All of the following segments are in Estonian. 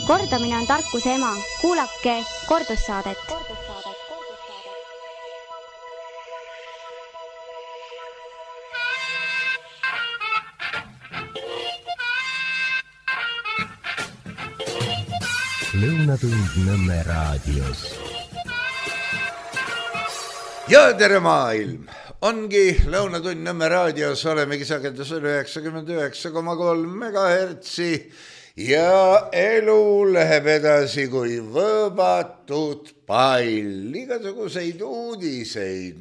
Kordamine on tarkuse ema. Kuulake kordussaadet. Lõunatund Nõmme raadios. Ja tere maailm! Ongi Lõunatund Nõmme raadios, olemegi sagedusel 99,3 MHz ja elu läheb edasi kui võõbatud pall. Igasuguseid uudiseid,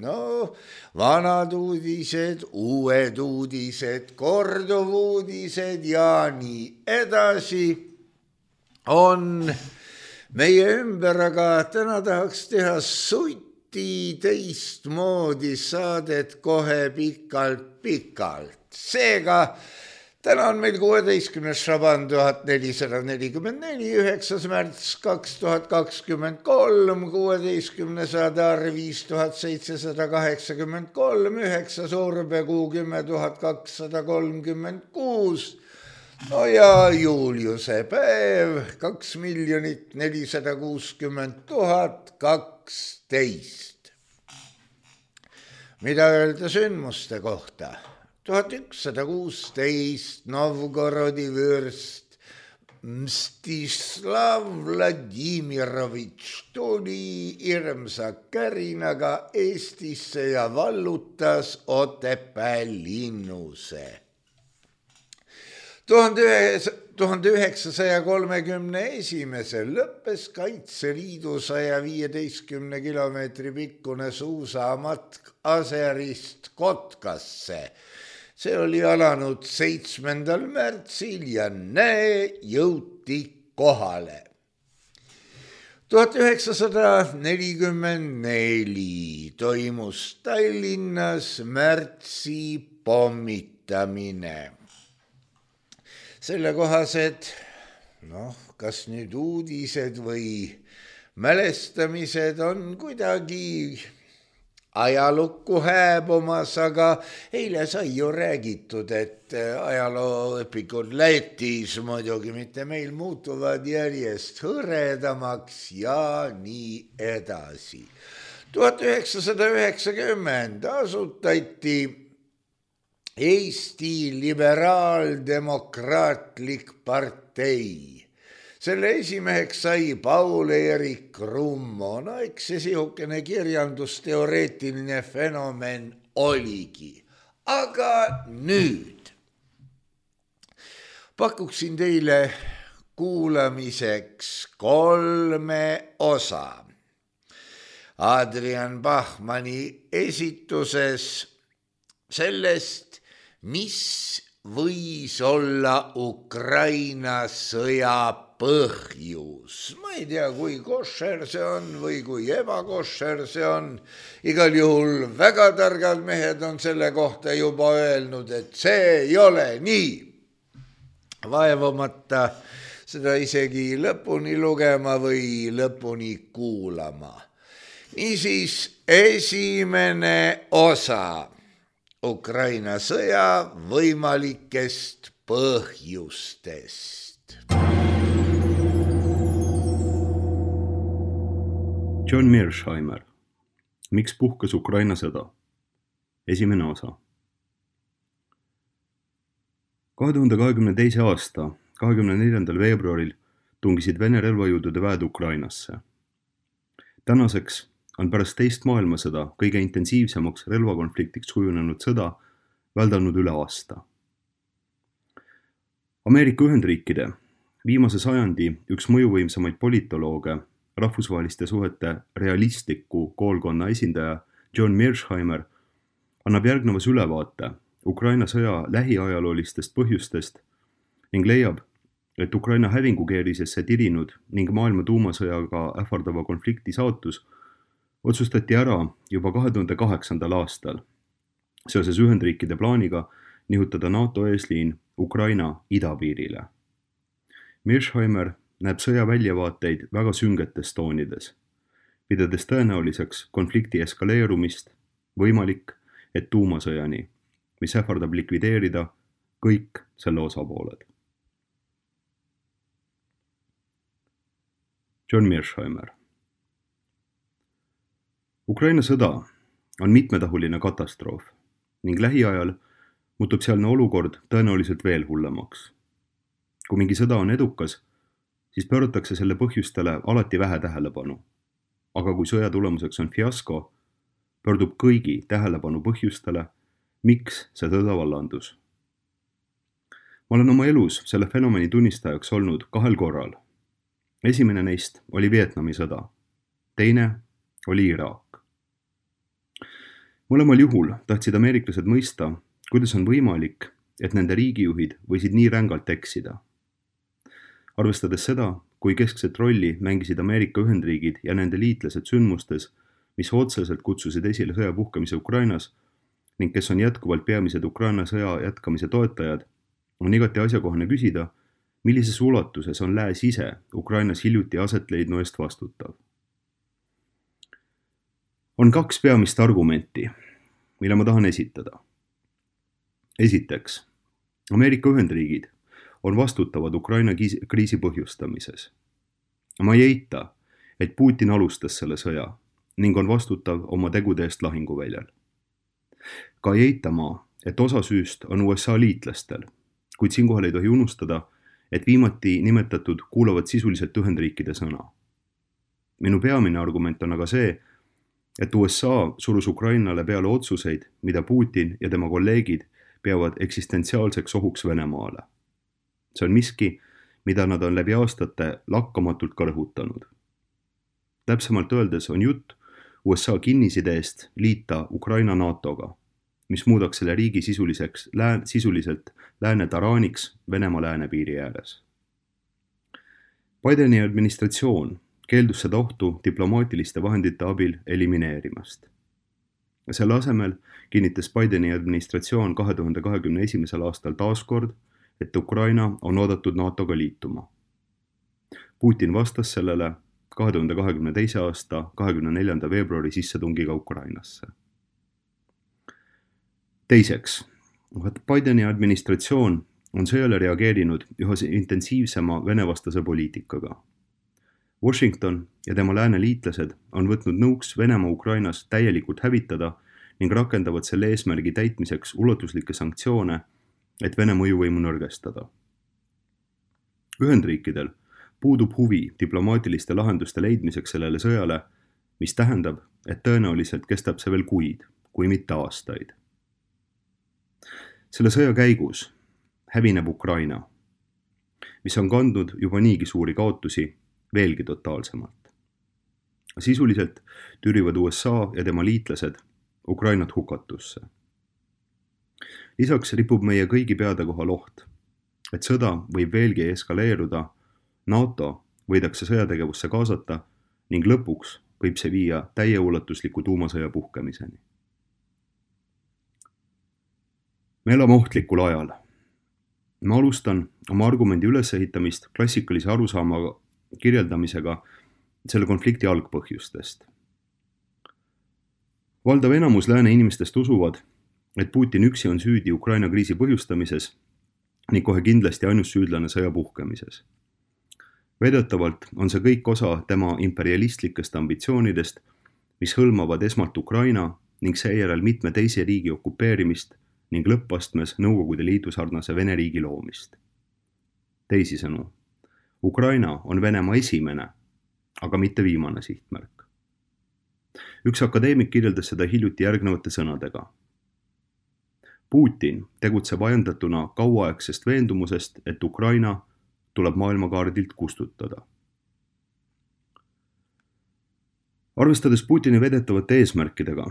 vanad uudised, uued uudised, korduvuudised ja nii edasi on meie ümber, aga täna tahaks teha teistmoodi saadet kohe pikalt. Seega, täna on meil 16. Šaban 1444, 9. märts 2023, 16. Adar 5783, 9. Urbekuu 10,236 ja Juliuse päev 2 460 012. Mida öelda sündmuste kohta? 1116 Novgorodi vürst Mstislav Vladimirovitš tuli hirmsa kärinaga Eestisse ja vallutas Otepää linnuse. 1931 lõppes Kaitseliidu 115 kilomeetri pikkune suusamatk Aserist Kotkasse. See oli alanud 7. märtsil ja jõuti kohale. 1944 toimus Tallinnas märtsi pommitamine. Selle kohased, kas nüüd uudised või mälestamised on kuidagi ajalukku hääbumas, aga eile sai ju räägitud, et ajalooõpikud Lätis muidugi mitte meil muutuvad järjest hõredamaks ja nii edasi. 1990 asutati Eesti Liberaaldemokraatlik partei. Selle esimeheks sai Paul-Eerik Rummo. Eks see sihukene kirjandusteoreetiline fenomen oligi. Aga nüüd pakuksin teile kuulamiseks 3 osa. Adrian Bachmanni esituses sellest, mis võis olla Ukraina sõja põhjus. Ma ei tea, kui košer see on või kui ebakošer see on. Igal juhul väga targad mehed on selle kohta juba öelnud, et see ei ole nii. Vaevamata seda isegi lõpuni lugema või lõpuni kuulama. Niisiis, esimene osa Ukraina sõja võimalikest põhjustest. John Mearsheimer. Miks puhkes Ukraina sõda? Esimene osa. 2022. aasta 24. veebruaril tungisid Vene relvajõudude väed Ukrainasse. Tänaseks on pärast teist maailmasõda kõige intensiivsemaks relvakonfliktiks kujunenud sõda väldanud üle aasta. Ameerika Ühendriikide viimase sajandi üks mõjuvõimsamaid politolooge, rahvusvaheliste suhete realistliku koolkonna esindaja John Mearsheimer annab järgnevas ülevaate Ukraina sõja lähiajaloolistest põhjustest ning leiab, et Ukraina hävingukeerisesse tirinud ning maailma tuumasõjaga ähvardava konflikti saatus otsustati ära juba 2008. aastal seoses Ühendriikide plaaniga nihutada NATO eesliin Ukraina idapiirile. Mearsheimer näeb sõja väljavaateid väga süngetes toonides, pidades tõenäoliseks konflikti eskaleerumist, võimalik, et tuumasõjani, mis ähvardab likvideerida kõik selle osapooled. John Mearsheimer. Ukraina sõda on mitmetahuline katastroof ning lähiajal muutub sealne olukord tõenäoliselt veel hullemaks. Kui mingi sõda on edukas, siis pööratakse selle põhjustele alati vähe tähelepanu. Aga kui sõja tulemuseks on fiasko, pöördub kõigi tähelepanu põhjustele, miks see sõda vallandus. Ma olen oma elus selle fenomeni tunnistajaks olnud 2 korral. Esimene neist oli Vietnami sõda. Teine oli Iraak. Mõlemal juhul tahtsid ameeriklased mõista, kuidas on võimalik, et nende riigijuhid võisid nii rängalt eksida. Arvestades seda, kui keskset rolli mängisid Ameerika Ühendriigid ja nende liitlased sündmustes, mis otseselt kutsusid esile sõja puhkemise Ukrainas ning kes on jätkuvalt peamised Ukraina sõja jätkamise toetajad, on igati asjakohane küsida, millises ulatuses on lääs ise Ukrainas hiljuti aset leidnu eest vastutav. On 2 peamist argumenti, mille ma tahan esitada. Esiteks, Ameerika Ühendriigid on vastutavad Ukraina kriisi põhjustamises. Ma ei eita, et Putin alustas selle sõja ning on vastutav oma tegude eest lahinguväljal. Ka ei eita ma, et osa süüst on USA liitlastel, kuid siinkohal ei tohi unustada, et viimati nimetatud kuulavad sisuliselt Ühendriikide sõna. Minu peamine argument on aga see, et USA surus Ukrainale peale otsuseid, mida Putin ja tema kolleegid peavad eksistentsiaalseks ohuks Venemaale. See on miski, mida nad on läbi aastate lakkamatult ka rõhutanud. Täpsemalt öeldes on jutt USA kinnisideest liita Ukraina NATOga, mis muudaks selle riigi sisuliselt lääne taraaniks Venemaa läänepiiri ääres. Bideni administratsioon keeldus seda ohtu diplomaatiliste vahendite abil elimineerimast. Selle asemel kinnitas Bideni administratsioon 2021. aastal taaskord, et Ukraina on oodatud NATOga liituma. Putin vastas sellele 2022. aasta 24. veebruari sissetungiga Ukrainasse. Teiseks, Bideni administratsioon on sõjale reageerinud üha intensiivsema venevastase poliitikaga. Washington ja tema lääne liitlased on võtnud nõuks Venemaa Ukrainas täielikult hävitada ning rakendavad selle eesmärgi täitmiseks ulatuslikke sanktsioone, et Vene mõjuvõimu nõrgestada. Ühendriikidel puudub huvi diplomaatiliste lahenduste leidmiseks sellele sõjale, mis tähendab, et tõenäoliselt kestab see veel kuid, kui mitte aastaid. Selle sõja käigus hävineb Ukraina, mis on kandnud juba niigi suuri kaotusi veelgi totaalsemalt. Sisuliselt türivad USA ja tema liitlased Ukrainat hukatusse. Lisaks ripub meie kõigi peade kohal oht, et sõda võib veelgi eskaleeruda, NATO võidakse sõjategevusse kaasata ning lõpuks võib see viia täieulatusliku tuumasõja puhkemiseni. Me elame ohtlikul ajal. Ma alustan oma argumendi ülesehitamist klassikalise arusaama kirjeldamisega selle konflikti algpõhjustest. Valdav enamus lääne inimestest usuvad, et Putin üksi on süüdi Ukraina kriisi põhjustamises ning kohe kindlasti ainus süüdlane sõja puhkemises. Väidetavalt on see kõik osa tema imperialistlikest ambitsioonidest, mis hõlmavad esmalt Ukraina ning seejärel mitme teise riigi okupeerimist ning lõppastmes Nõukogude Liidu sarnase Vene riigi loomist. Teisisõnu, Ukraina on Venemaa esimene, aga mitte viimane sihtmärk. Üks akadeemik kirjeldas seda hiljuti järgnevate sõnadega. Putin tegutseb ajendatuna kauaaegsest veendumusest, et Ukraina tuleb maailmakaardilt kustutada. Arvestades Putini vedetavate eesmärkidega,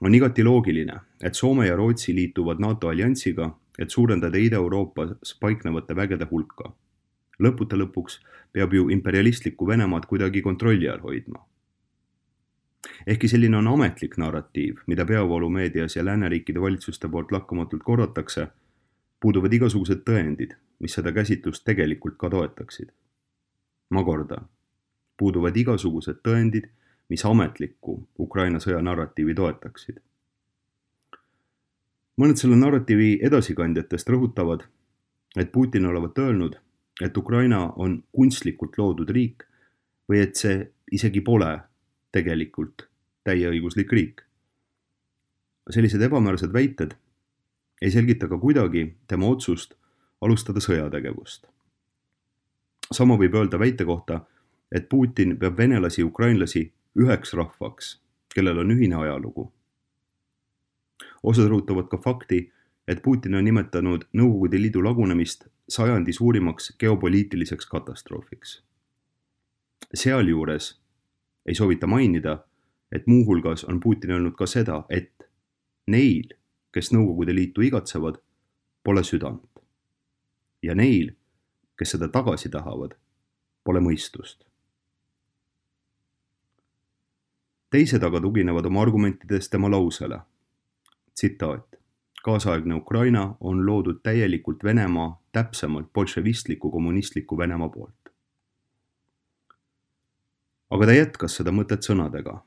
on igati loogiline, et Soome ja Rootsi liituvad NATO alliansiga, et suurendada Ida-Euroopas paiknevate vägede hulka. Lõputa lõpuks peab ju imperialistlikku Venemaad kuidagi kontrolli all hoidma. Ehkki selline on ametlik narratiiv, mida peavoolumeedias ja lääneriikide valitsuste poolt lakkamatult korratakse, puuduvad igasugused tõendid, mis seda käsitlust tegelikult ka toetaksid. Ma kordan, puuduvad igasugused tõendid, mis ametlikku Ukraina sõja narratiivi toetaksid. Mõned selle narratiivi edasikandjatest rõhutavad, et Putin olevat öelnud, et Ukraina on kunstlikult loodud riik, või et see isegi pole tegelikult täieõiguslik riik. Sellised ebamäärsed väited ei selgita ka kuidagi tema otsust alustada sõjategevust. Sama võib öelda väite kohta, et Putin peab venelasi ja ukrainlasi üheks rahvaks, kellel on ühine ajalugu. Osad rõhutavad ka fakti, et Putin on nimetanud Nõukogude Liidu lagunemist sajandi suurimaks geopoliitiliseks katastroofiks. Sealjuures ei soovita mainida, et muuhulgas on Putin öelnud ka seda, et neil, kes Nõukogude Liitu igatsevad, pole südant. Ja neil, kes seda tagasi tahavad, pole mõistust. Teised aga tuginevad oma argumentides tema lausele. Tsitaat. Kaasaegne Ukraina on loodud täielikult Venemaa, täpsemalt bolševistliku kommunistliku Venemaa poolt. Aga ta jätkas seda mõtet sõnadega.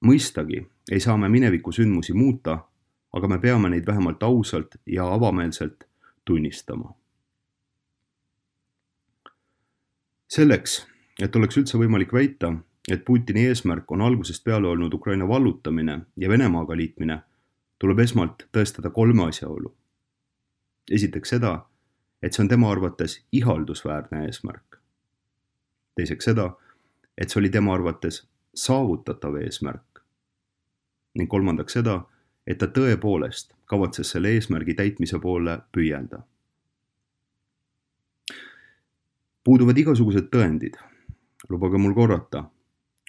Mõistagi ei saa me mineviku sündmusi muuta, aga me peame neid vähemalt ausalt ja avameelselt tunnistama. Selleks, et oleks üldse võimalik väita, et Putini eesmärk on algusest peale olnud Ukraina vallutamine ja Venemaaga liitmine, tuleb esmalt tõestada 3 asjaolu. Esiteks seda, et see on tema arvates ihaldusväärne eesmärk. Teiseks seda, et see oli tema arvates saavutatav eesmärk. Ning kolmandaks seda, et ta tõepoolest kavatses selle eesmärgi täitmise poole püüelda. Puuduvad igasugused tõendid, lubage mul korrata,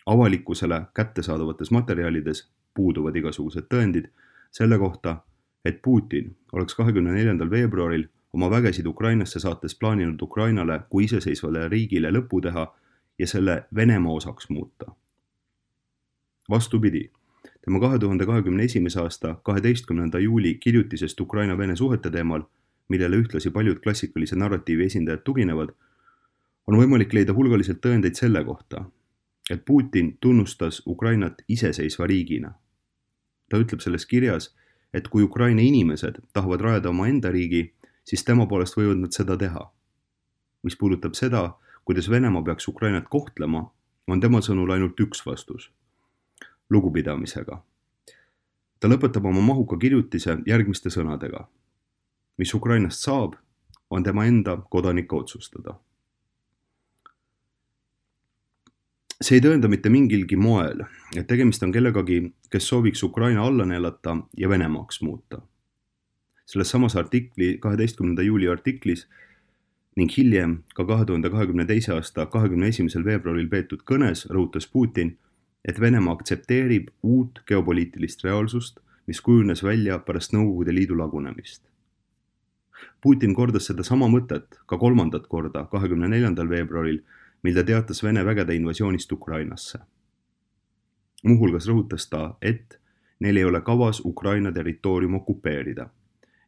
avalikkusele kättesaadavates materjalides puuduvad igasugused tõendid selle kohta, et Putin oleks 24. veebruaril oma vägesid Ukrainasse saates plaaninud Ukrainale kui iseseisvale riigile lõpu teha ja selle Venemaa osaks muuta. Vastupidi, tema 2021. aasta 12. juuli kirjutisest Ukraina-Vene suhete teemal, millele ühtlasi paljud klassikalise narratiivi esindajad tuginevad, on võimalik leida hulgaliselt tõendeid selle kohta, et Putin tunnustas Ukrainat iseseisva riigina. Ta ütleb selles kirjas, et kui Ukraina inimesed tahavad rajada oma enda riigi, siis tema poolest võivad nad seda teha. Mis puudutab seda, kuidas Venemaa peaks Ukrainat kohtlema, on tema sõnul ainult üks vastus. Lugupidamisega. Ta lõpetab oma mahuka kirjutise järgmiste sõnadega. Mis Ukrainast saab, on tema enda kodanike otsustada. See ei tõenda mitte mingilgi moel, et tegemist on kellegagi, kes sooviks Ukraina alla neelata ja Venemaaks muuta. Selles samas 12. juuli artiklis ning hiljem ka 2022. aasta 21. veebruaril peetud kõnes rõhutas Putin, et Venemaa aktsepteerib uut geopoliitilist reaalsust, mis kujunes välja pärast Nõukogude Liidu lagunemist. Putin kordas seda sama mõtet ka 3. korda 24. veebruaril, mil ta teatas Vene vägede invasioonist Ukrainasse. Muuhulgas rõhutas ta, et neil ei ole kavas Ukraina territoorium okupeerida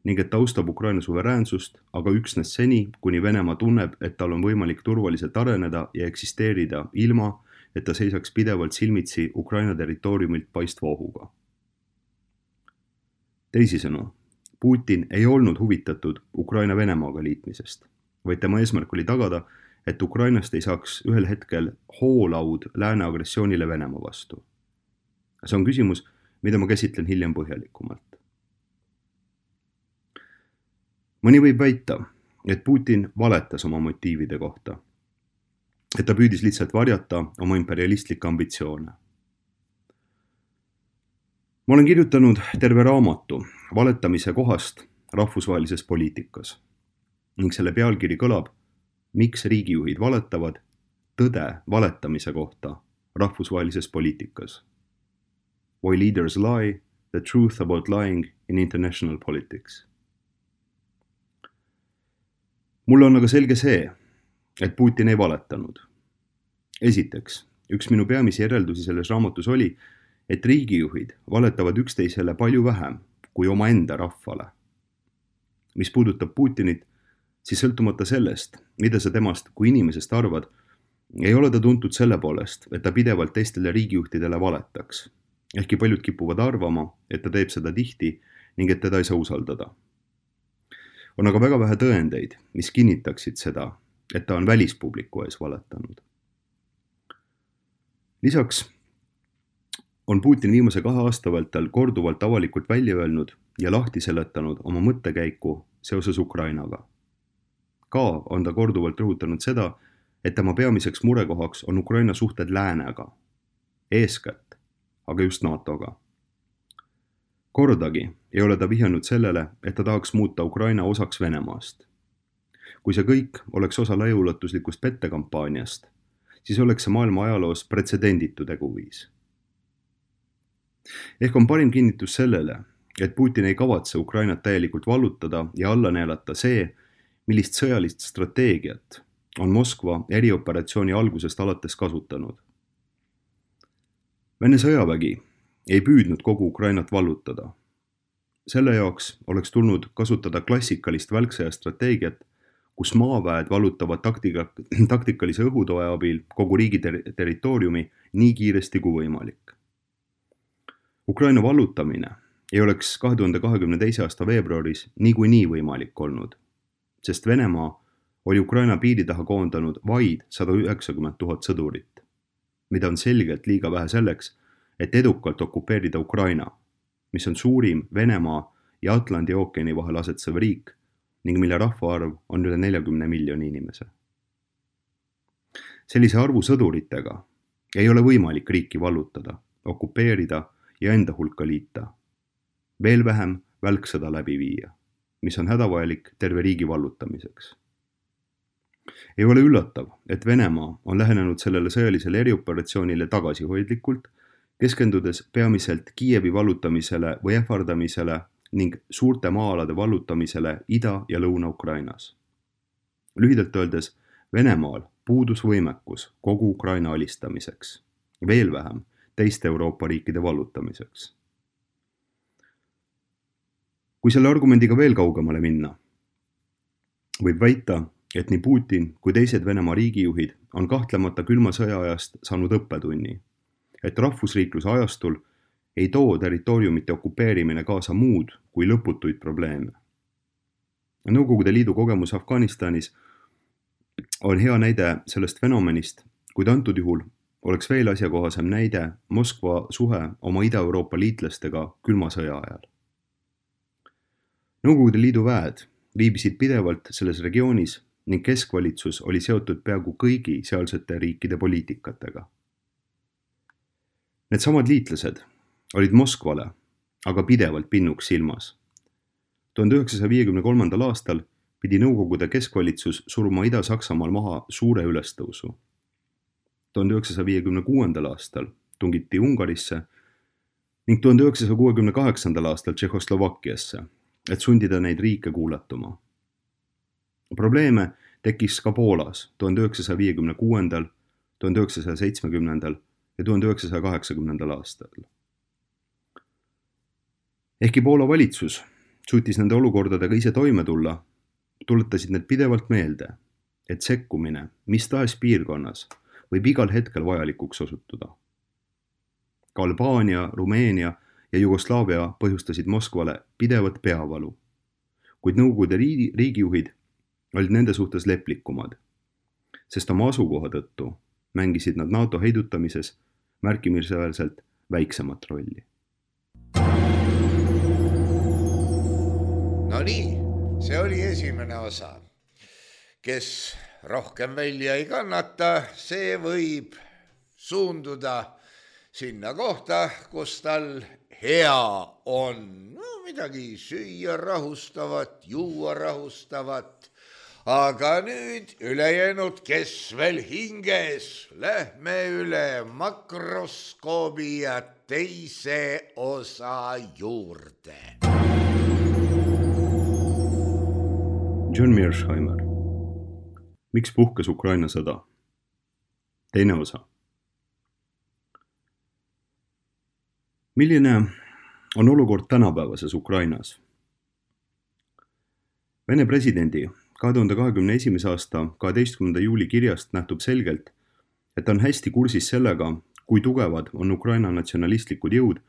ning et ta austab Ukraina suveräänsust, aga üksnes seni, kuni Venemaa tunneb, et tal on võimalik turvaliselt areneda ja eksisteerida ilma, et ta seisaks pidevalt silmitsi Ukraina territooriumilt paistva ohuga. Teisisõnu, Putin ei olnud huvitatud Ukraina Venemaaga liitmisest, vaid tema eesmärk oli tagada, et Ukrainast ei saaks ühel hetkel hoolaud lääne agressioonile Venemaa vastu. See on küsimus, mida ma käsitlen hiljem põhjalikumalt. Mõni võib väita, et Putin valetas oma motiivide kohta, et ta püüdis lihtsalt varjata oma imperialistlikke ambitsioone. Ma olen kirjutanud terve raamatu valetamise kohast rahvusvahelises poliitikas ning selle pealkiri kõlab Miks riigijuhid valetavad tõde valetamise kohta rahvusvahelises poliitikas. Why leaders lie, the truth about lying in international politics. Mulle on aga selge see, et Putin ei valetanud. Esiteks, üks minu peamisi järeldusi selles raamatus oli, et riigijuhid valetavad üksteisele palju vähem kui omaenda rahvale. Mis puudutab Putinit, siis sõltumata sellest, mida sa temast kui inimesest arvad, ei ole ta tuntud selle poolest, et ta pidevalt teistele riigijuhtidele valetaks. Ehkki paljud kipuvad arvama, et ta teeb seda tihti ning et teda ei saa usaldada. On aga väga vähe tõendeid, mis kinnitaksid seda, et ta on välispubliku ees valetanud. Lisaks on Putin viimase 2 aasta vältel korduvalt avalikult välja öelnud ja lahti seletanud oma mõttekäiku seoses Ukrainaga. Ka on ta korduvalt rõhutanud seda, et tema peamiseks murekohaks on Ukraina suhted läänega, eeskätt, aga just NATO-ga. Kordagi ei ole ta vihjanud sellele, et ta tahaks muuta Ukraina osaks Venemaast. Kui see kõik oleks osa laiaulatuslikust pettekampaaniast, siis oleks see maailma ajaloos pretsedenditu teguviis. Ehk on parim kinnitus sellele, et Putin ei kavatse Ukrainat täielikult vallutada ja alla neelata see, millist sõjalist strateegiat on Moskva erioperatsiooni algusest alates kasutanud. Vene sõjavägi ei püüdnud kogu Ukrainat vallutada. Selle jaoks oleks tulnud kasutada klassikalist välksõja strateegiat, kus maaväed vallutavad taktikalise õhutoe abil kogu riigi territooriumi nii kiiresti kui võimalik. Ukraina vallutamine ei oleks 2022. aasta veebruaris niikuinii võimalik olnud, sest Venemaa oli Ukraina piiri taha koondanud vaid 190 000 sõdurit, mida on selgelt liiga vähe selleks, et edukalt okupeerida Ukraina, mis on suurim Venemaa ja Atlandi ookeani vahel asetsev riik ning mille rahvaarv on üle 40 miljoni inimese. Sellise arvu sõduritega ei ole võimalik riiki vallutada, okupeerida ja enda hulka liita. Veel vähem välksõda läbi viia, mis on hädavajalik terve riigi vallutamiseks. Ei ole üllatav, et Venemaa on lähenenud sellele sõjalisele erioperatsioonile tagasihoidlikult, keskendudes peamiselt Kiievi vallutamisele või ähvardamisele ning suurte maa-alade vallutamisele Ida- ja Lõuna-Ukrainas. Lühidalt öeldes, Venemaal puudus võimekus kogu Ukraina alistamiseks, veel vähem teiste Euroopa riikide vallutamiseks. Kui selle argumendiga veel kaugemale minna, võib väita, et nii Putin kui teised Venemaa riigijuhid on kahtlemata külma sõja ajast saanud õppetunni, et rahvusriikluse ajastul ei too territooriumite okupeerimine kaasa muud kui lõputuid probleeme. Nõukogude Liidu kogemus Afganistanis on hea näide sellest fenomenist, kuid antud juhul oleks veel asjakohasem näide Moskva suhe oma Ida-Euroopa liitlastega külma sõja ajal. Nõukogude Liidu väed viibisid pidevalt selles regioonis ning keskvalitsus oli seotud peaaegu kõigi sealsete riikide poliitikatega. Need samad liitlased olid Moskvale aga pidevalt pinnuks silmas. 1953. aastal pidi Nõukogude keskvalitsus suruma Ida-Saksamaal maha suure ülestõusu. 1956. aastal tungiti Ungarisse ning 1968. aastal Tšehhoslovakkiasse, et sundida neid riike kuulatuma. Probleeme tekkis ka Poolas 1956., 1970. ja 1980. aastal. Ehkki Poola valitsus suutis nende olukordadega ise toime tulla, tuletasid need pidevalt meelde, et sekkumine mis tahes piirkonnas võib igal hetkel vajalikuks osutuda. Ka Albaania, Rumeenia ja Jugoslaavia põhjustasid Moskvale pidevat peavalu, kuid Nõukogude riigijuhid olid nende suhtes leplikumad, sest oma asukoha tõttu mängisid nad NATO heidutamises märkimisväärselt väiksemat rolli. No nii, see oli esimene osa. Kes rohkem välja ei kannata, see võib suunduda sinna kohta, kus tal hea on. No, midagi süüa rahustavat, juua rahustavat. Aga nüüd ülejäänud, kes veel hinges, lähme üle makroskoobi ja teise osa juurde. John Mearsheimer. Miks puhkes Ukraina sõda? Teine osa. Milline on olukord tänapäevases Ukrainas? Vene presidendi 2021. aasta 12. juuli kirjast nähtub selgelt, et on hästi kursis sellega, kui tugevad on Ukraina natsionalistlikud jõud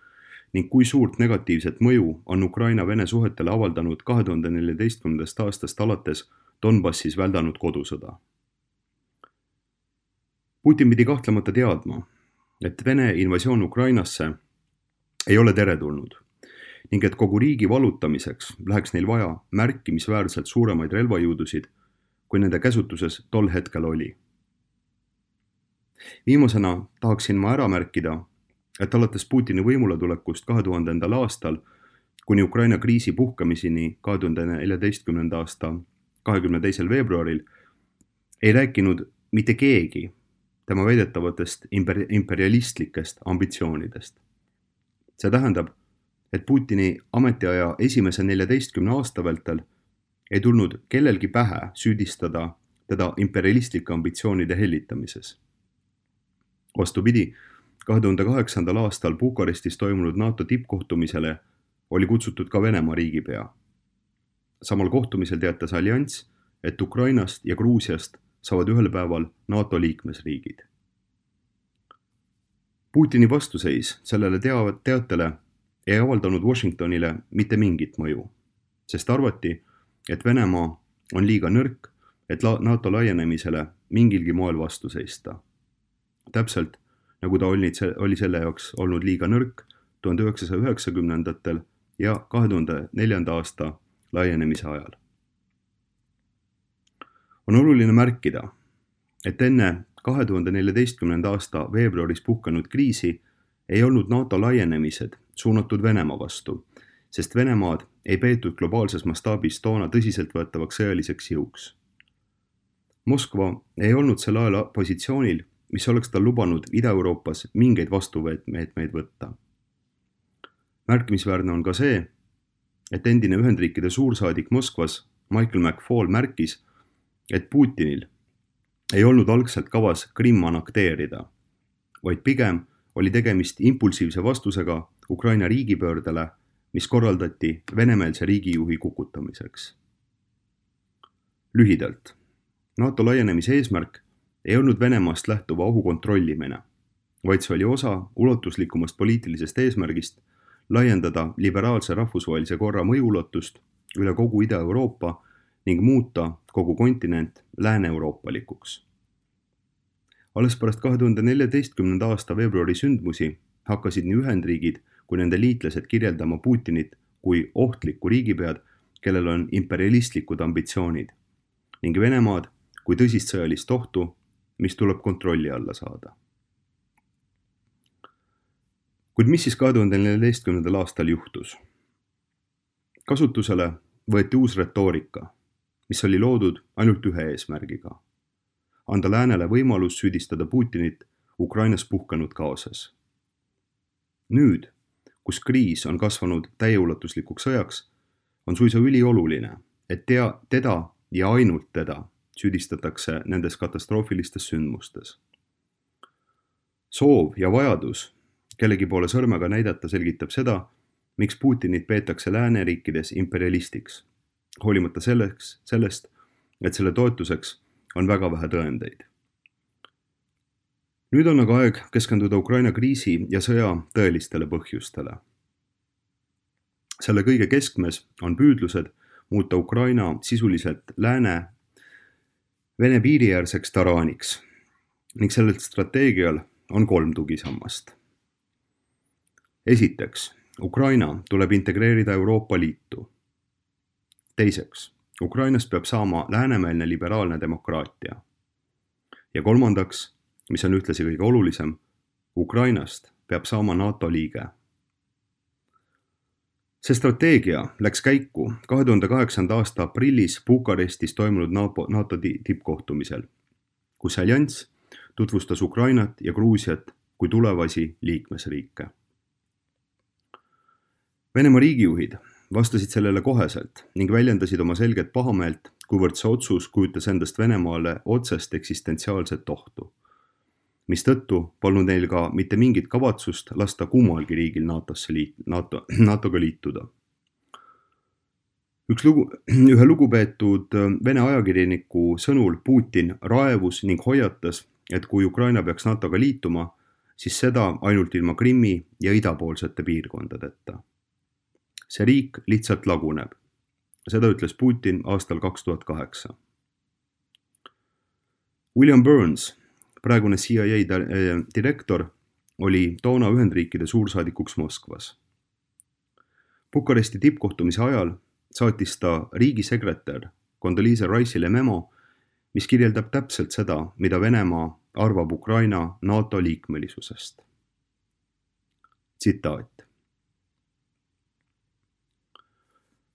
ning kui suurt negatiivset mõju on Ukraina-Vene suhetele avaldanud 2014. aastast alates Donbassis väldanud kodusõda. Putin pidi kahtlemata teadma, et Vene invasioon Ukrainasse ei ole teretulnud ning et kogu riigi vallutamiseks läheks neil vaja märkimisväärselt suuremaid relvajõudusid, kui nende käsutuses tol hetkel oli. Viimasena tahaksin ma ära märkida, et alates Putini võimule tulekust 2000. aastal kuni Ukraina kriisi puhkamiseni 2014. aasta 22. veebruaril ei rääkinud mitte keegi tema väidetavatest imperialistlikest ambitsioonidest. See tähendab, et Putini ametiaja esimese 14 aasta vältel ei tulnud kellelgi pähe süüdistada teda imperialistlike ambitsioonide hellitamises. Vastupidi, 2008. aastal Bukarestis toimunud NATO tippkohtumisele oli kutsutud ka Venemaa riigipea. Samal kohtumisel teatas allianss, et Ukrainast ja Gruusiast saavad ühel päeval NATO liikmesriigid. Putini vastuseis sellele teatele ei avaldanud Washingtonile mitte mingit mõju, sest arvati, et Venemaa on liiga nõrk, et NATO laienemisele mingilgi moel vastu seista. Täpselt nagu ta oli selle jaoks olnud liiga nõrk 1990. ja 2004. aasta laienemise ajal. On oluline märkida, et enne 2014. aasta veebruaris puhkenud kriisi ei olnud NATO laienemised suunatud Venemaa vastu, sest Venemaad ei peetud globaalses mastaabis toona tõsiseltvõetavaks sõjaliseks jõuks. Moskva ei olnud sel ajal positsioonil, mis oleks tal lubanud Ida-Euroopas mingeid vastumeetmeid võtta. Märkimisväärne on ka see, et endine Ühendriikide suursaadik Moskvas Michael McFaul märkis, et Putinil ei olnud algselt kavas Krimm annekteerida, vaid pigem oli tegemist impulsiivse vastusega Ukraina riigipöördele, mis korraldati venemeelse riigijuhi kukutamiseks. Lühidalt, NATO laienemise eesmärk ei olnud Venemaast lähtuva ohu kontrollimine, vaid see oli osa ulatuslikumast poliitilisest eesmärgist laiendada liberaalse rahvusvahelise korra mõjuulatust üle kogu Ida-Euroopa ning muuta kogu kontinent lääne-euroopalikuks. Alles pärast 2014. aasta veebruari sündmusi hakkasid nii Ühendriigid kui nende liitlased kirjeldama Putinit kui ohtlikku riigipead, kellel on imperialistlikud ambitsioonid, ning Venemaad kui tõsist sõjalist ohtu, mis tuleb kontrolli alla saada. Kuid mis siis 2014. aastal juhtus? Kasutusele võeti uus retoorika, mis oli loodud ainult ühe eesmärgiga: anda läänele võimalus süüdistada Putinit Ukrainas puhkenud kaoses. Nüüd, kus kriis on kasvanud täieulatuslikuks sõjaks, on suisa ülioluline, et teda ja ainult teda süüdistatakse nendes katastroofilistes sündmustes. Soov ja vajadus kellegi poole sõrmega näidata selgitab seda, miks Putinit peetakse lääneriikides imperialistiks, hoolimata sellest, et selle toetuseks on väga vähe tõendeid. Nüüd on aga aeg keskenduda Ukraina kriisi ja sõja tõelistele põhjustele. Selle kõige keskmes on püüdlused muuta Ukraina sisuliselt Vene piiriäärseks taraaniks ning sellelt strateegial on 3 tugisammast. Esiteks, Ukraina tuleb integreerida Euroopa Liitu. Teiseks, Ukrainast peab saama läänemeelne liberaalne demokraatia. Ja kolmandaks, mis on ühtlasi kõige olulisem, Ukrainast peab saama NATO liige. See strateegia läks käiku 2008. aasta aprillis Bukarestis toimunud NATO tippkohtumisel, kus allianss tutvustas Ukrainat ja Gruusiat kui tulevasi liikmesriike. Venemaa riigijuhid vastasid sellele koheselt ning väljendasid oma selget pahameelt, kuivõrd see otsus kujutas endast Venemaale otsest eksistentsiaalset ohtu, mistõttu polnud neil ka mitte mingit kavatsust lasta kummalgi riigil NATOga liituda. Ühe lugupeetud Vene ajakirjaniku sõnul Putin raevus ning hoiatas, et kui Ukraina peaks NATOga liituma, siis seda ainult ilma Krimmi ja idapoolsete piirkondadeta. See riik lihtsalt laguneb. Seda ütles Putin aastal 2008. William Burns, praegune CIA direktor, oli toona Ühendriikide suursaadikuks Moskvas. Bukaresti tippkohtumise ajal saatis ta riigisekretär Condoleezza Rice'ile memo, mis kirjeldab täpselt seda, mida Venemaa arvab Ukraina NATO liikmelisusest. Tsitaat.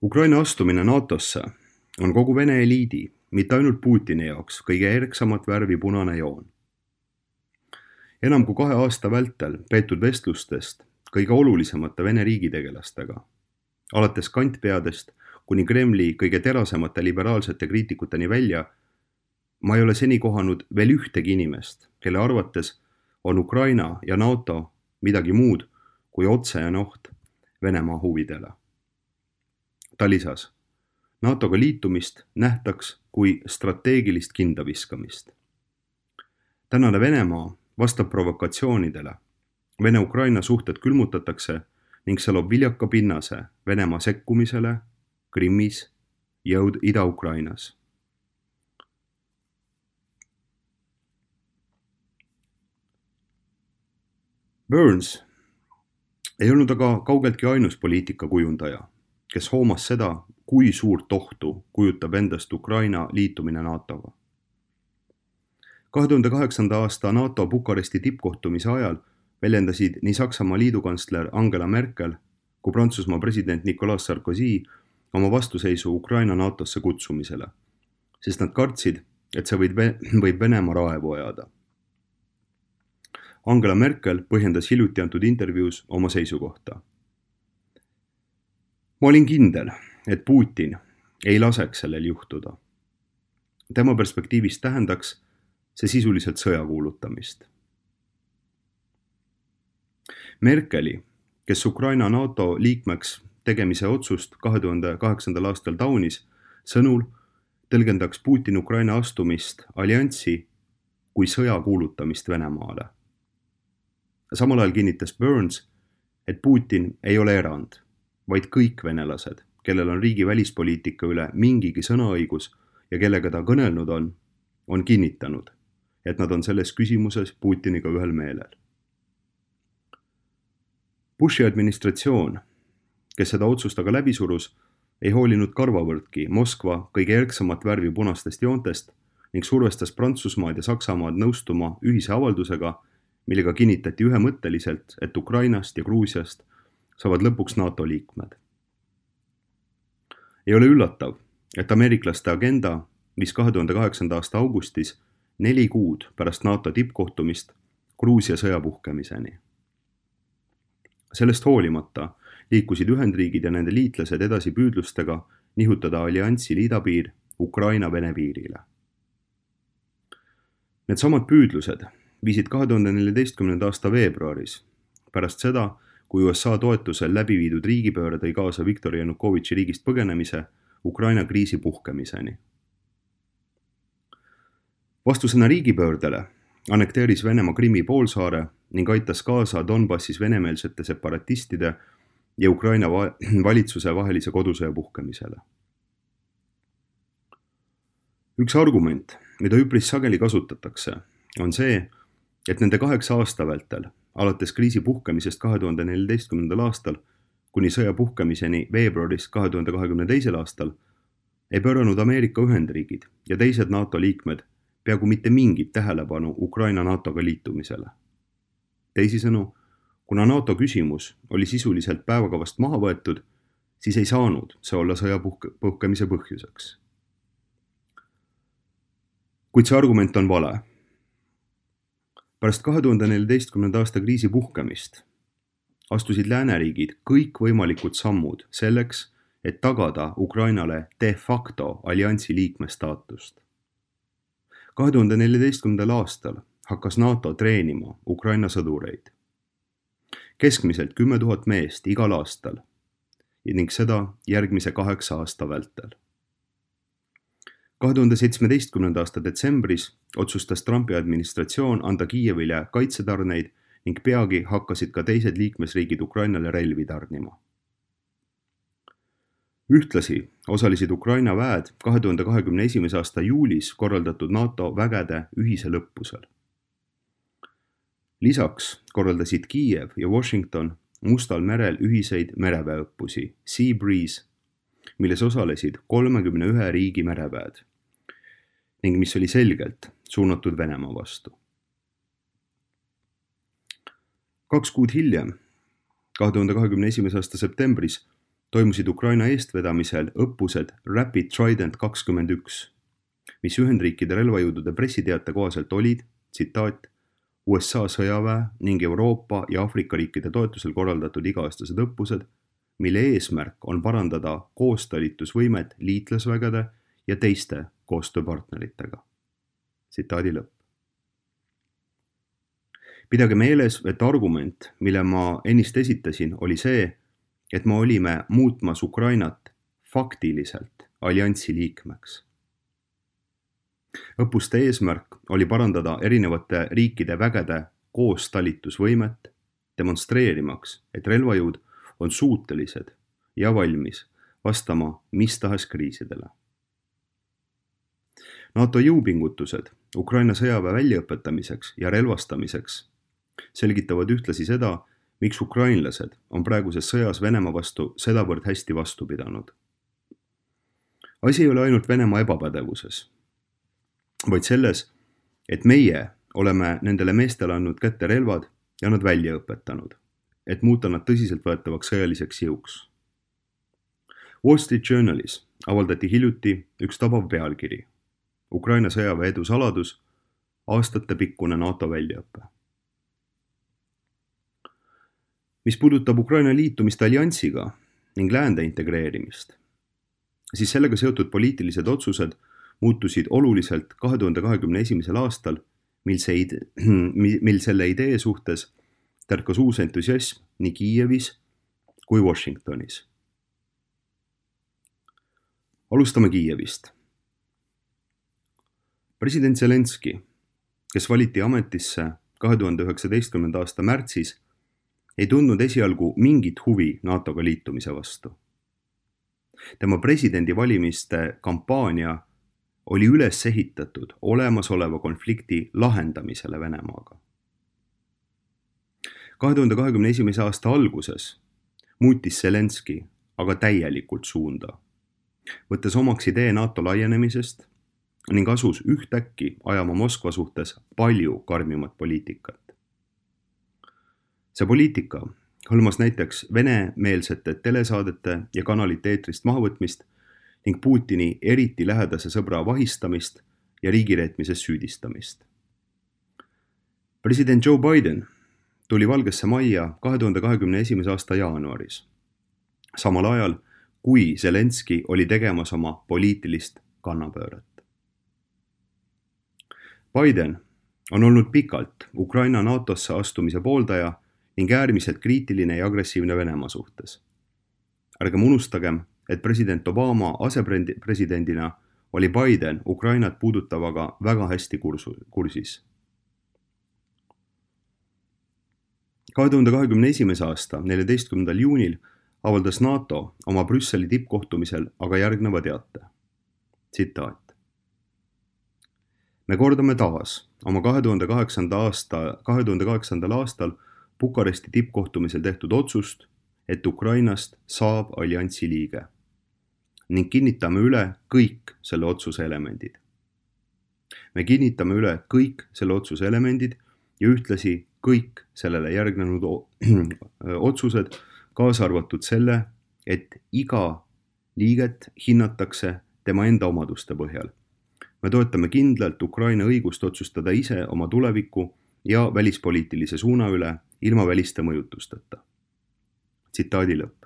Ukraina astumine NATOsse on kogu Vene eliidi, mitte ainult Putini jaoks, kõige erksamat värvi punane joon. Enam kui 2 aasta vältel peetud vestlustest kõige olulisemate Vene riigitegelastega, alates kantpeadest kuni Kremli kõige terasemate liberaalsete kriitikuteni välja, ma ei ole seni kohanud veel ühtegi inimest, kelle arvates on Ukraina ja NATO midagi muud kui otsene oht Venemaa huvidele. Ta lisas, NATOga liitumist nähtaks kui strateegilist kindaviskamist. Tänane Venemaa vastab provokatsioonidele. Vene-Ukraina suhted külmutatakse ning see loob viljaka pinnase Venemaa sekkumisele Krimmis ja Ida-Ukrainas. Burns ei olnud aga kaugeltki ainus poliitika kujundaja, kes hoomas seda, kui suurt ohtu kujutab endast Ukraina liitumine NATOga. 2008. aasta NATO Bukaresti tippkohtumise ajal väljendasid nii Saksamaa liidukantsler Angela Merkel kui Prantsusmaa president Nicolas Sarkozy oma vastuseisu Ukraina NATOsse kutsumisele, sest nad kartsid, et see võib Venemaa raevu ajada. Angela Merkel põhjendas hiljuti antud intervjuus oma seisukohta. Ma olin kindel, et Putin ei laseks sellel juhtuda. Tema perspektiivist tähendaks see sisuliselt sõja kuulutamist. Merkeli, kes Ukraina NATO liikmeks tegemise otsust 2008. aastal taunis, sõnul tõlgendaks Putin Ukraina astumist allianssi kui sõja kuulutamist Venemaale. Samal ajal kinnitas Burns, et Putin ei ole erand, vaid kõik venelased, kellel on riigi välispoliitika üle mingigi sõnaõigus ja kellega ta kõnelnud on kinnitanud, et nad on selles küsimuses Putiniga ühel meelel. Bushi administratsioon, kes seda otsust aga läbi surus, ei hoolinud karvavõrdki Moskva kõige erksamat värvi punastest joontest ning survestas Prantsusmaad ja Saksamaad nõustuma ühise avaldusega, millega kinnitati ühemõtteliselt, et Ukrainast ja Gruusiast saavad lõpuks NATO liikmed. Ei ole üllatav, et ameeriklaste agenda, mis 2008. aasta augustis 4 kuud pärast NATO tippkohtumist Gruusia sõja puhkemiseni. Sellest hoolimata liikusid Ühendriigid ja nende liitlased edasi püüdlustega nihutada allianssi idapiir Ukraina-Vene piirile. Need samad püüdlused viisid 2014. aasta veebruaris, pärast seda, kui USA toetusel läbi viidud riigipööre tõi kaasa Viktor Janukovitši riigist põgenemise Ukraina kriisi puhkemiseni. Vastusena riigipöördele annekteeris Venemaa Krimmi poolsaare ning aitas kaasa Donbassis venemeelsete separatistide ja Ukraina valitsuse vahelise kodusõja puhkemisele. Üks argument, mida üpris sageli kasutatakse, on see, et nende 8 aasta vältel, alates kriisi puhkemisest 2014. aastal kuni sõja puhkemiseni veebruaris 2022. aastal, ei pööranud Ameerika Ühendriigid ja teised NATO liikmed peaaegu mitte mingit tähelepanu Ukraina NATOga liitumisele. Teisisõnu, kuna NATO küsimus oli sisuliselt päevakavast maha võetud, siis ei saanud see olla sõja puhkemise põhjuseks. Kuid see argument on vale. Pärast 2014. aasta kriisi puhkemist astusid lääneriigid kõik võimalikud sammud selleks, et tagada Ukrainale de facto alliansi liikme staatust. 2014. aastal hakkas NATO treenima Ukraina sõdureid. Keskmiselt 10 000 meest igal aastal ning seda järgmise 8 aasta vältel. 2017. aasta detsembris otsustas Trumpi administratsioon anda Kiievile kaitsetarneid ning peagi hakkasid ka teised liikmesriigid Ukrainale relvi tarnima. Ühtlasi osalesid Ukraina väed 2021. aasta juulis korraldatud NATO vägede ühisel õppusel. Lisaks korraldasid Kiiev ja Washington Mustal merel ühiseid mereväeõppusi Sea Breeze, milles osalesid 31 riigi mereväed ning mis oli selgelt suunatud Venemaa vastu. 2 kuud hiljem, 2021. aasta septembris, toimusid Ukraina eestvedamisel õppused Rapid Trident 21, mis Ühendriikide relvajõudude pressiteate kohaselt olid, tsitaat, USA sõjaväe ning Euroopa ja Aafrika riikide toetusel korraldatud iga-aastased õppused, mille eesmärk on parandada koostalitusvõimet liitlasvägede ja teiste koostööpartneritega. Tsitaadi lõpp. Pidage meeles, et argument, mille ma ennist esitasin, oli see, et me olime muutmas Ukrainat faktiliselt alliansi liikmeks. Õppuste eesmärk oli parandada erinevate riikide vägede koostalitusvõimet, demonstreerimaks, et relvajõud on suutelised ja valmis vastama mis tahes kriisidele. NATO jõupingutused Ukraina sõjaväe väljaõpetamiseks ja relvastamiseks selgitavad ühtlasi seda, miks ukrainlased on praeguses sõjas Venemaa vastu sedavõrd hästi vastu pidanud. Asi ei ole ainult Venemaa ebapädevuses, vaid selles, et meie oleme nendele meestele andnud kätte relvad ja nad välja õpetanud, et muuta nad tõsiseltvõetavaks sõjaliseks jõuks. Wall Street Journalis avaldati hiljuti üks tabav pealkiri Ukraina sõjaväe edu saladus, aastatepikkune NATO väljaõpe. Mis puudutab Ukraina liitumist alliansiga ning läände integreerimist, siis sellega seotud poliitilised otsused muutusid oluliselt 2021. aastal, mil selle idee suhtes tärkas uus entusiasm nii Kiievis kui Washingtonis. Alustame Kiievist. President Zelenski, kes valiti ametisse 2019. aasta märtsis, ei tundnud esialgu mingit huvi NATOga liitumise vastu. Tema presidendivalimiste kampaania oli üles ehitatud olemasoleva konflikti lahendamisele Venemaaga. 2021. aasta alguses muutis Zelenski aga täielikult suunda, võttes omaks idee NATO laienemisest ning asus ühtäkki ajama Moskva suhtes palju karmimat poliitikat. See poliitika hõlmas näiteks venemeelsete telesaadete ja kanalite eetrist mahavõtmist ning Putini eriti lähedase sõbra vahistamist ja riigireetmises süüdistamist. President Joe Biden tuli Valgesse Majja 2021. aasta jaanuaris, samal ajal kui Zelenski oli tegemas oma poliitilist kannapööret. Biden on olnud pikalt Ukraina NATOsse astumise pooldaja ning äärmiselt kriitiline ja agressiivne Venemaa suhtes. Ärgem unustagem, et president Obama asepresidendina oli Biden Ukrainat puudutavaga väga hästi kursis. 2021. aasta 14. juunil avaldas NATO oma Brüsseli tippkohtumisel aga järgneva teate. Tsitaat. Me kordame taas oma 2008. aastal Bukaresti tippkohtumisel tehtud otsust, et Ukrainast saab alliansi liige ning kinnitame üle kõik selle otsuse elemendid. Me kinnitame üle kõik selle otsuse elemendid ja ühtlasi kõik sellele järgnenud otsused, kaasa arvatud selle, et iga liiget hinnatakse tema enda omaduste põhjal. Me toetame kindlalt Ukraina õigust otsustada ise oma tuleviku ja välispoliitilise suuna üle ilma väliste mõjutusteta. Tsitaadi lõpp.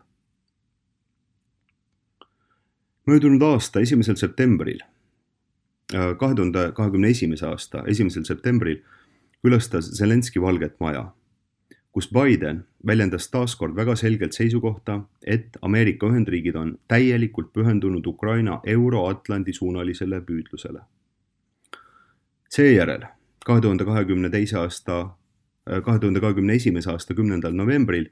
Möödunud aasta 1. septembril, 2021. aasta 1. septembril külastas Zelenski Valget Maja, kus Biden väljendas taaskord väga selgelt seisukohta, et Ameerika Ühendriigid on täielikult pühendunud Ukraina Euro-Atlandi suunalisele püüdlusele. Seejärel 2021. aasta 10. novembril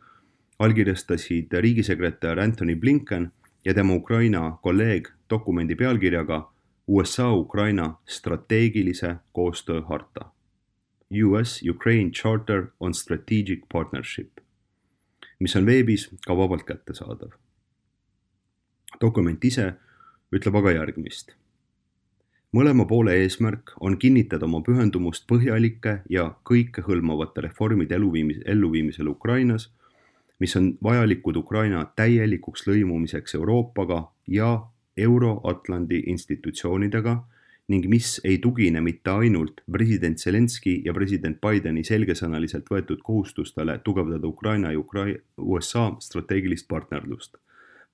allkirjastasid riigisekretär Antony Blinken ja tema Ukraina kolleeg dokumendi pealkirjaga USA-Ukraina strateegilise koostöö harta. US-Ukraine Charter on Strategic Partnership, mis on veebis ka vabalt kättesaadav. Dokument ise ütleb aga järgmist. Mõlema poole eesmärk on kinnitada oma pühendumust põhjalike ja kõikehõlmavate reformide elluviimisel Ukrainas, mis on vajalikud Ukraina täielikuks lõimumiseks Euroopaga ja Euro-Atlandi institutsioonidega ning mis ei tugine mitte ainult president Zelenski ja president Bideni selgesõnaliselt võetud kohustustele tugevdada Ukraina ja USA strateegilist partnerlust,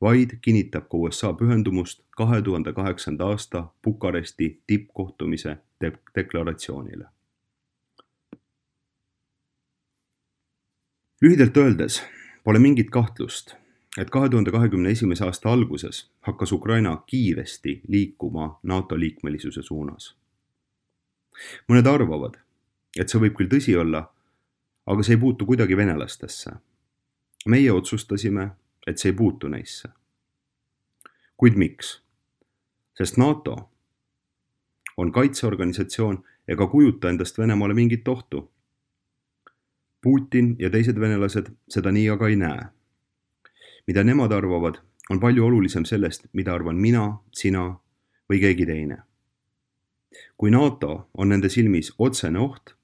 vaid kinnitab ka USA pühendumust 2008. aasta Bukaresti tippkohtumise deklaratsioonile. Lühidalt öeldes pole mingit kahtlust, et 2021. aasta alguses hakkas Ukraina kiiresti liikuma NATO liikmelisuse suunas. Mõned arvavad, et see võib küll tõsi olla, aga see ei puutu kuidagi venelastesse. Meie otsustasime, et see ei puutu neisse. Kuid miks? Sest NATO on kaitseorganisatsioon ega kujuta endast Venemaale mingit ohtu. Putin ja teised venelased seda nii aga ei näe. Mida nemad arvavad, on palju olulisem sellest, mida arvan mina, sina või keegi teine. Kui NATO on nende silmis otsene oht,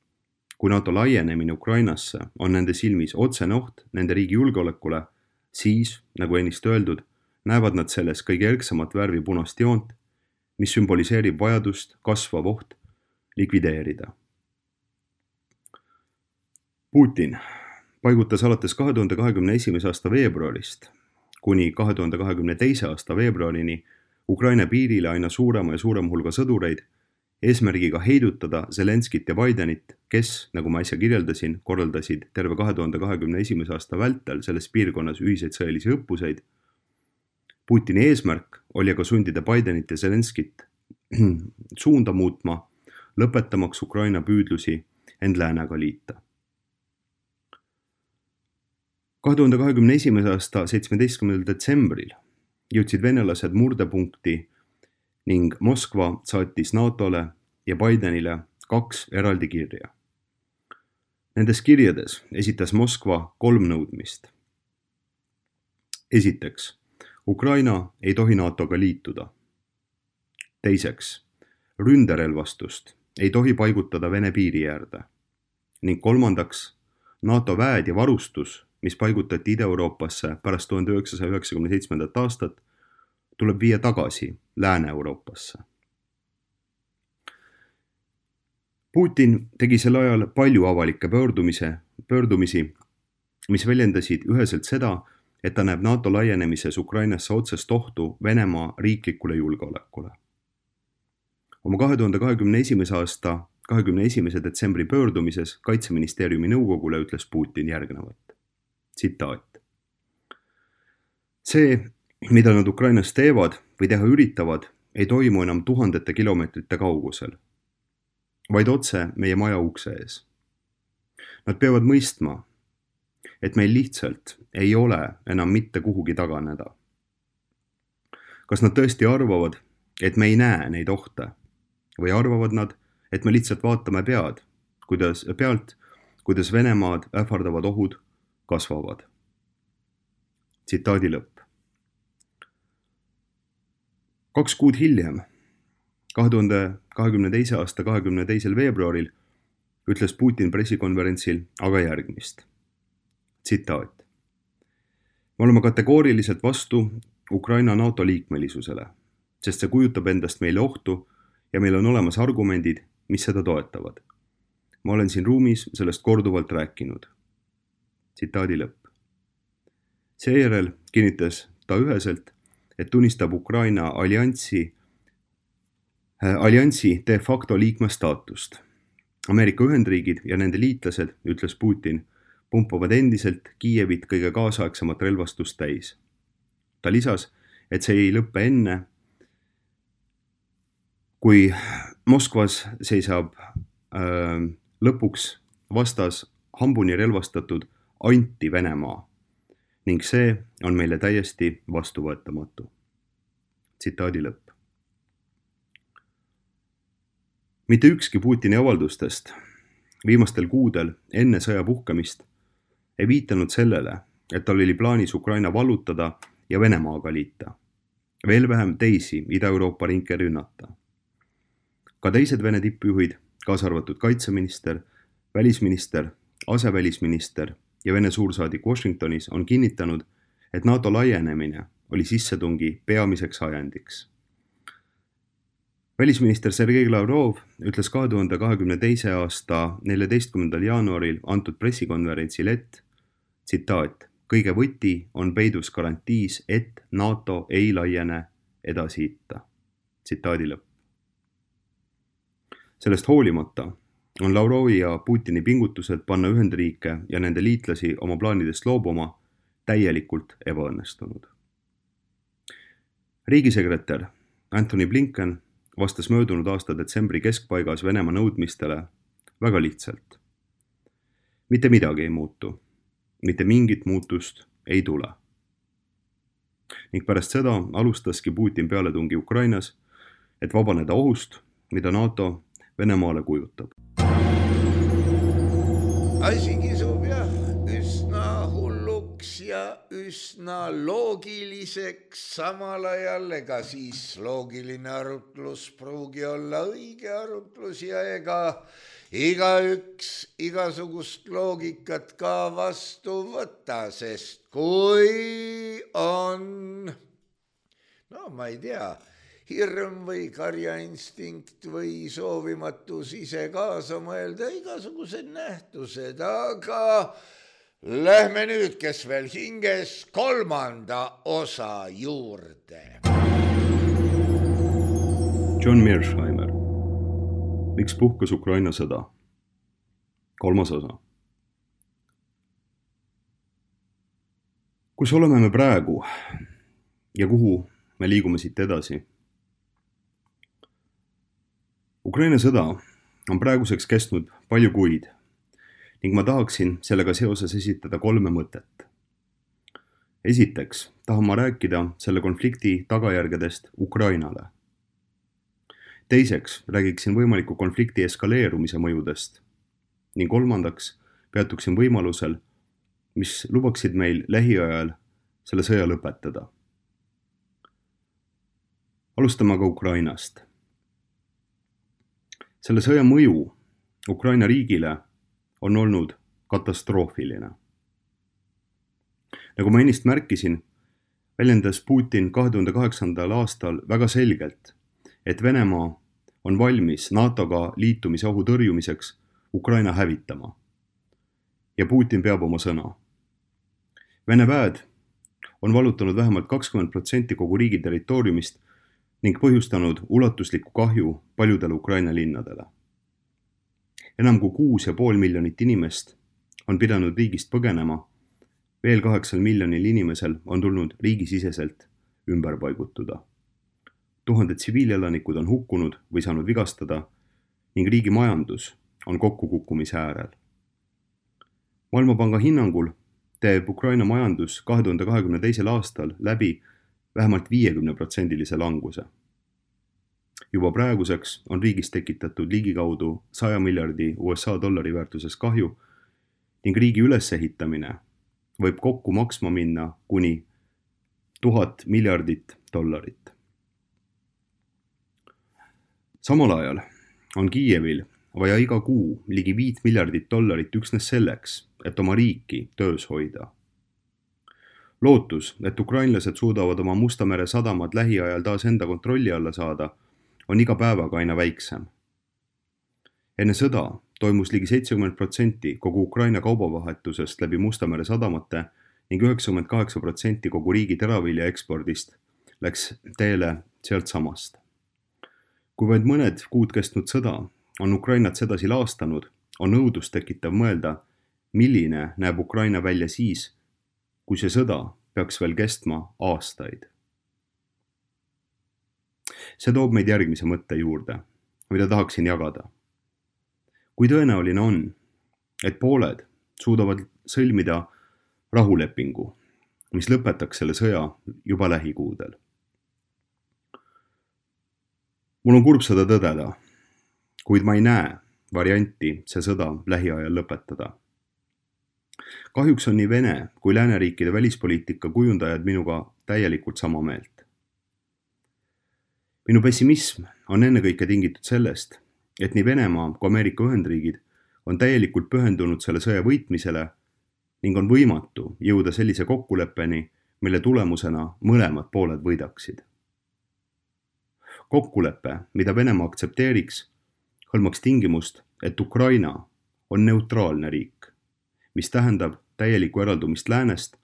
kui NATO laienemine Ukrainasse on nende silmis otsene oht nende riigi julgeolekule, siis, nagu ennist öeldud, näevad nad selles kõige erksamat värvi punast joont, mis sümboliseerib vajadust kasvav oht likvideerida. Putin paigutas alates 2021. aasta veebruarist kuni 2022. aasta veebruarini Ukraina piirile aina suurema ja suurema hulga sõdureid, eesmärgiga heidutada Zelenskit ja Bidenit, kes, nagu ma äsja kirjeldasin, korraldasid terve 2021. aasta vältel selles piirkonnas ühiseid sõjalisi õppuseid. Putini eesmärk oli aga sundida Bidenit ja Zelenskit suunda muutma, lõpetamaks Ukraina püüdlusi end läänega liita. 2021. aasta 17. detsembril jõudsid venelased murdepunkti ning Moskva saatis NATO-le ja Bidenile 2 eraldi kirja. Nendes kirjades esitas Moskva 3 nõudmist. Esiteks, Ukraina ei tohi NATO-ga liituda. Teiseks, ründerelvastust ei tohi paigutada Vene piiri äärde. Ning kolmandaks, NATO väed ja varustus, mis paigutati Ida-Euroopasse pärast 1997. aastat, tuleb viia tagasi Lääne-Euroopasse. Putin tegi sel ajal palju avalikke pöördumisi, mis väljendasid üheselt seda, et ta näeb NATO laienemises Ukrainasse otsest ohtu Venemaa riiklikule julgeolekule. Oma 2021. aasta 21. detsembri pöördumises Kaitseministeeriumi nõukogule ütles Putin järgnevat. Tsitaat. See, mida nad Ukrainas teevad või teha üritavad, ei toimu enam tuhandete kilomeetrite kaugusel, vaid otse meie maja ukse ees. Nad peavad mõistma, et meil lihtsalt ei ole enam mitte kuhugi taganeda. Kas nad tõesti arvavad, et me ei näe neid ohte või arvavad nad, et me lihtsalt vaatame pealt, kuidas Venemaad ähvardavad ohud kasvavad. Tsitaadi lõpp. 2 kuud hiljem, 2022. aasta 22. veebruaril, ütles Putin pressikonverentsil aga järgmist. Tsitaat. Me oleme kategooriliselt vastu Ukraina NATO liikmelisusele, sest see kujutab endast meile ohtu ja meil on olemas argumendid, mis seda toetavad. Ma olen siin ruumis sellest korduvalt rääkinud. Tsitaadi lõpp. Seejärel kinnitas ta üheselt, et tunnistab Ukraina alliansi de facto liikme staatust. Ameerika Ühendriigid ja nende liitlased, ütles Putin, pumpavad endiselt Kiievit kõige kaasaegsemat relvastust täis. Ta lisas, et see ei lõppe enne, kui Moskvas seisab lõpuks vastas hambuni relvastatud anti-Venemaa ning see on meile täiesti vastuvõetamatu. Tsitaadi lõpp. Mitte ükski Putini avaldustest viimastel kuudel enne sõja puhkemist ei viitanud sellele, et tal oli plaanis Ukraina vallutada ja Venemaaga liita. Veel vähem teisi Ida-Euroopa ringe rünnata. Ka teised Vene tippjuhid, kaasa arvatud kaitseminister, välisminister, asevälisminister ja Vene suursaadik Washingtonis on kinnitanud, et NATO laienemine oli sissetungi peamiseks ajendiks. Välisminister Sergei Lavrov ütles 2022. aasta 14. jaanuaril antud pressikonverentsil, et tsitaat, kõige võti on peidus garantiis, et NATO ei laiene edasi itta. Tsitaadi lõpp. Sellest hoolimata on Lavrovi ja Putini pingutused panna Ühendriike ja nende liitlasi oma plaanidest loobuma täielikult ebaõnnestunud. Riigisekretär Antony Blinken vastas möödunud aasta detsembri keskpaigas Venemaa nõudmistele väga lihtsalt. Mitte midagi ei muutu, mitte mingit muutust ei tule. Ning pärast seda alustaski Putin pealetungi Ukrainas, et vabaneda ohust, mida NATO Venemaale kujutab. Asi kisub jah üsna hulluks ja üsna loogiliseks samal ajal, ega siis loogiline arutlus pruugi olla õige arutlus ja ega igaüks igasugust loogikat ka vastu võtta, sest kui on, no ma ei tea, hirm või karjainstinkt või soovimatus ise kaasa mõelda, igasugused nähtused, aga lähme nüüd, kes veel hinges, 3. osa juurde. John Mearsheimer. Miks puhkes Ukraina sõda? 3. osa. Kus oleme me praegu ja kuhu me liigume siit edasi? Ukraina sõda on praeguseks kestnud palju kuid ning ma tahaksin sellega seoses esitada 3 mõtet. Esiteks tahan ma rääkida selle konflikti tagajärgedest Ukrainale. Teiseks räägiksin võimaliku konflikti eskaleerumise mõjudest ning 3. peatuksin võimalusel, mis lubaksid meil lähiajal selle sõja lõpetada. Alustame aga Ukrainast. Selle sõja mõju Ukraina riigile on olnud katastroofiline. Nagu ma ennist märkisin, väljendas Putin 2008. aastal väga selgelt, et Venemaa on valmis NATO-ga liitumise ohu tõrjumiseks Ukraina hävitama. Ja Putin peab oma sõna. Vene väed on vallutanud vähemalt 20% kogu riigi territooriumist ning põhjustanud ulatuslikku kahju paljudele Ukraina linnadele. Enam kui 6,5 miljonit inimest on pidanud riigist põgenema, veel 8 miljonil inimesel on tulnud riigisiseselt ümber paigutuda. Tuhanded tsiviilelanikud on hukkunud või saanud vigastada ning riigi majandus on kokkukukkumise äärel. Maailmapanga hinnangul teeb Ukraina majandus 2022. aastal läbi vähemalt 50% languse. Juba praeguseks on riigis tekitatud ligikaudu 100 miljardi USA dollari väärtuses kahju ning riigi ülesehitamine võib kokku maksma minna kuni 1000 miljardit dollarit. Samal ajal on Kiievil vaja iga kuu ligi 5 miljardit dollarit üksnes selleks, et oma riiki töös hoida. Lootus, et ukrainlased suudavad oma Musta mere sadamad lähiajal taas enda kontrolli alla saada, on iga päevaga aina väiksem. Enne sõda toimus ligi 70% kogu Ukraina kaubavahetusest läbi Musta mere sadamate ning 98% kogu riigi teravilja ekspordist läks teele sealt samast. Kui vaid mõned kuud kestnud sõda on Ukrainat sedasi laastanud, on nõudlust tekitav mõelda, milline näeb Ukraina välja siis, kui see sõda peaks veel kestma aastaid. See toob meid järgmise mõtte juurde, mida tahaksin jagada. Kui tõenäoline on, et pooled suudavad sõlmida rahulepingu, mis lõpetaks selle sõja juba lähikuudel. Mul on kurb seda tõdeda, kuid ma ei näe, varianti see sõda lähiajal lõpetada. Kahjuks on nii Vene kui lääneriikide välispoliitika kujundajad minuga täielikult sama meelt. Minu pessimism on ennekõike tingitud sellest, et nii Venemaa kui Ameerika Ühendriigid on täielikult pühendunud selle sõja võitmisele ning on võimatu jõuda sellise kokkuleppeni, mille tulemusena mõlemad pooled võidaksid. Kokkulepe, mida Venemaa aktsepteeriks, hõlmaks tingimust, et Ukraina on neutraalne riik, mis tähendab täielikku eraldumist läänest,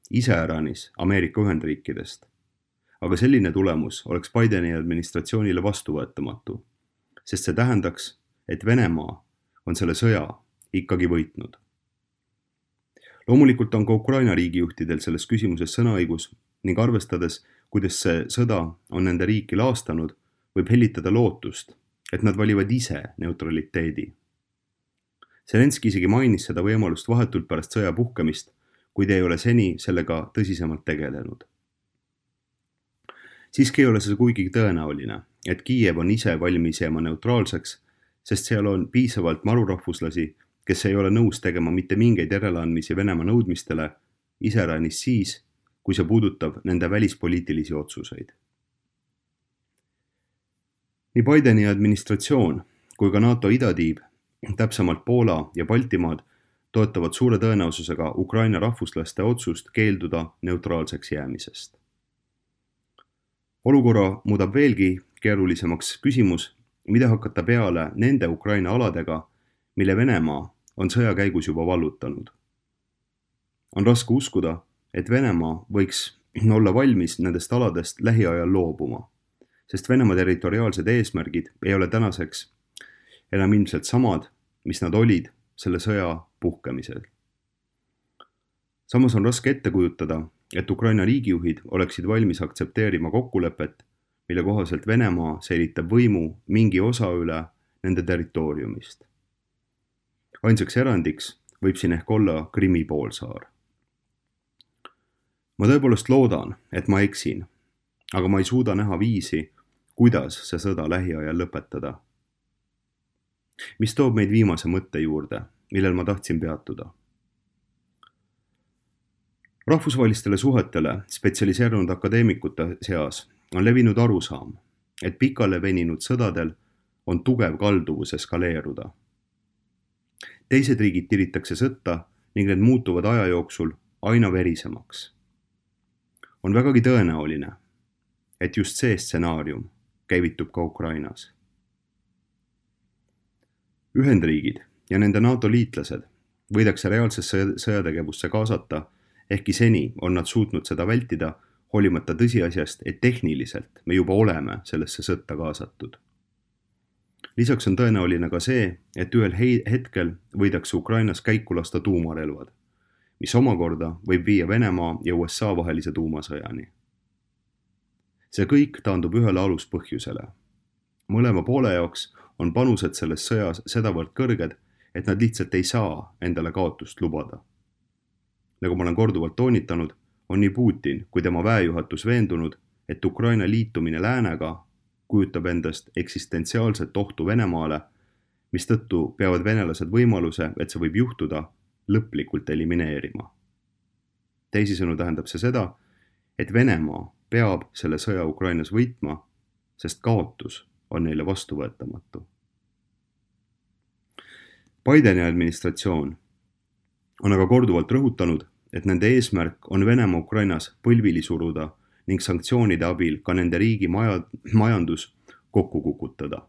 iseäranis Ameerika Ühendriikidest. Aga selline tulemus oleks Bideni administratsioonile vastuvõetamatu, sest see tähendaks, et Venemaa on selle sõja ikkagi võitnud. Loomulikult on ka Ukraina riigijuhtidel selles küsimuses sõnaõigus ning arvestades, kuidas see sõda on nende riiki laastanud, võib hellitada lootust, et nad valivad ise neutraliteedi. Zelenski isegi mainis seda võimalust vahetult pärast sõja puhkemist, kuid ei ole seni sellega tõsisemalt tegelenud. Siiski ei ole see kuigi tõenäoline, et Kiiev on ise valmis jääma neutraalseks, sest seal on piisavalt marurahvuslasi, kes ei ole nõus tegema mitte mingeid järeleandmisi Venemaa nõudmistele, iseäranis siis, kui see puudutab nende välispoliitilisi otsuseid. Nii Bideni administratsioon kui ka NATO idatiib, täpsemalt Poola ja Baltimaad, toetavad suure tõenäosusega Ukraina rahvuslaste otsust keelduda neutraalseks jäämisest. Olukorra muudab veelgi keerulisemaks küsimus, mida hakata peale nende Ukraina aladega, mille Venemaa on sõja käigus juba vallutanud. On raske uskuda, et Venemaa võiks olla valmis nendest aladest lähiajal loobuma, sest Venemaa territoriaalsed eesmärgid ei ole tänaseks enam ilmselt samad, mis nad olid selle sõja puhkemisel. Samas on raske ette kujutada, et Ukraina riigijuhid oleksid valmis aktsepteerima kokkulepet, mille kohaselt Venemaa säilitab võimu mingi osa üle nende territooriumist. Ainsaks erandiks võib siin ehk olla Krimmi poolsaar. Ma tõepoolest loodan, et ma eksin, aga ma ei suuda näha viisi, kuidas see sõda lähiajal lõpetada. Mis toob meid viimase mõtte juurde, millel ma tahtsin peatuda. Rahvusvahelistele suhetele spetsialiseerunud akadeemikute seas on levinud arusaam, et pikale veninud sõdadel on tugev kalduvus eskaleeruda. Teised riigid tiritakse sõtta ning need muutuvad aja jooksul aina verisemaks. On vägagi tõenäoline, et just see stsenaarium käivitub ka Ukrainas. Ühendriigid ja nende NATO liitlased võidakse reaalsesse sõjategevusse kaasata, ehkki seni on nad suutnud seda vältida, hoolimata tõsiasjast, et tehniliselt me juba oleme sellesse sõtta kaasatud. Lisaks on tõenäoline ka see, et ühel hetkel võidakse Ukrainas käiku lasta tuumarelvad, mis omakorda võib viia Venemaa ja USA vahelise tuumasõjani. See kõik taandub ühele aluspõhjusele. Mõlema poole jaoks on panused selles sõjas sedavõrd kõrged, et nad lihtsalt ei saa endale kaotust lubada. Nagu ma olen korduvalt toonitanud, on nii Putin kui tema väejuhatus veendunud, et Ukraina liitumine läänega kujutab endast eksistentsiaalset ohtu Venemaale, mistõttu peavad venelased võimaluse, et see võib juhtuda, lõplikult elimineerima. Teisisõnu tähendab see seda, et Venemaa peab selle sõja Ukrainas võitma, sest kaotus on neile vastuvõetamatu. Bideni administratsioon on aga korduvalt rõhutanud, et nende eesmärk on Venemaa Ukrainas põlvili suruda ning sanktsioonide abil ka nende riigi majandus kokku kukutada.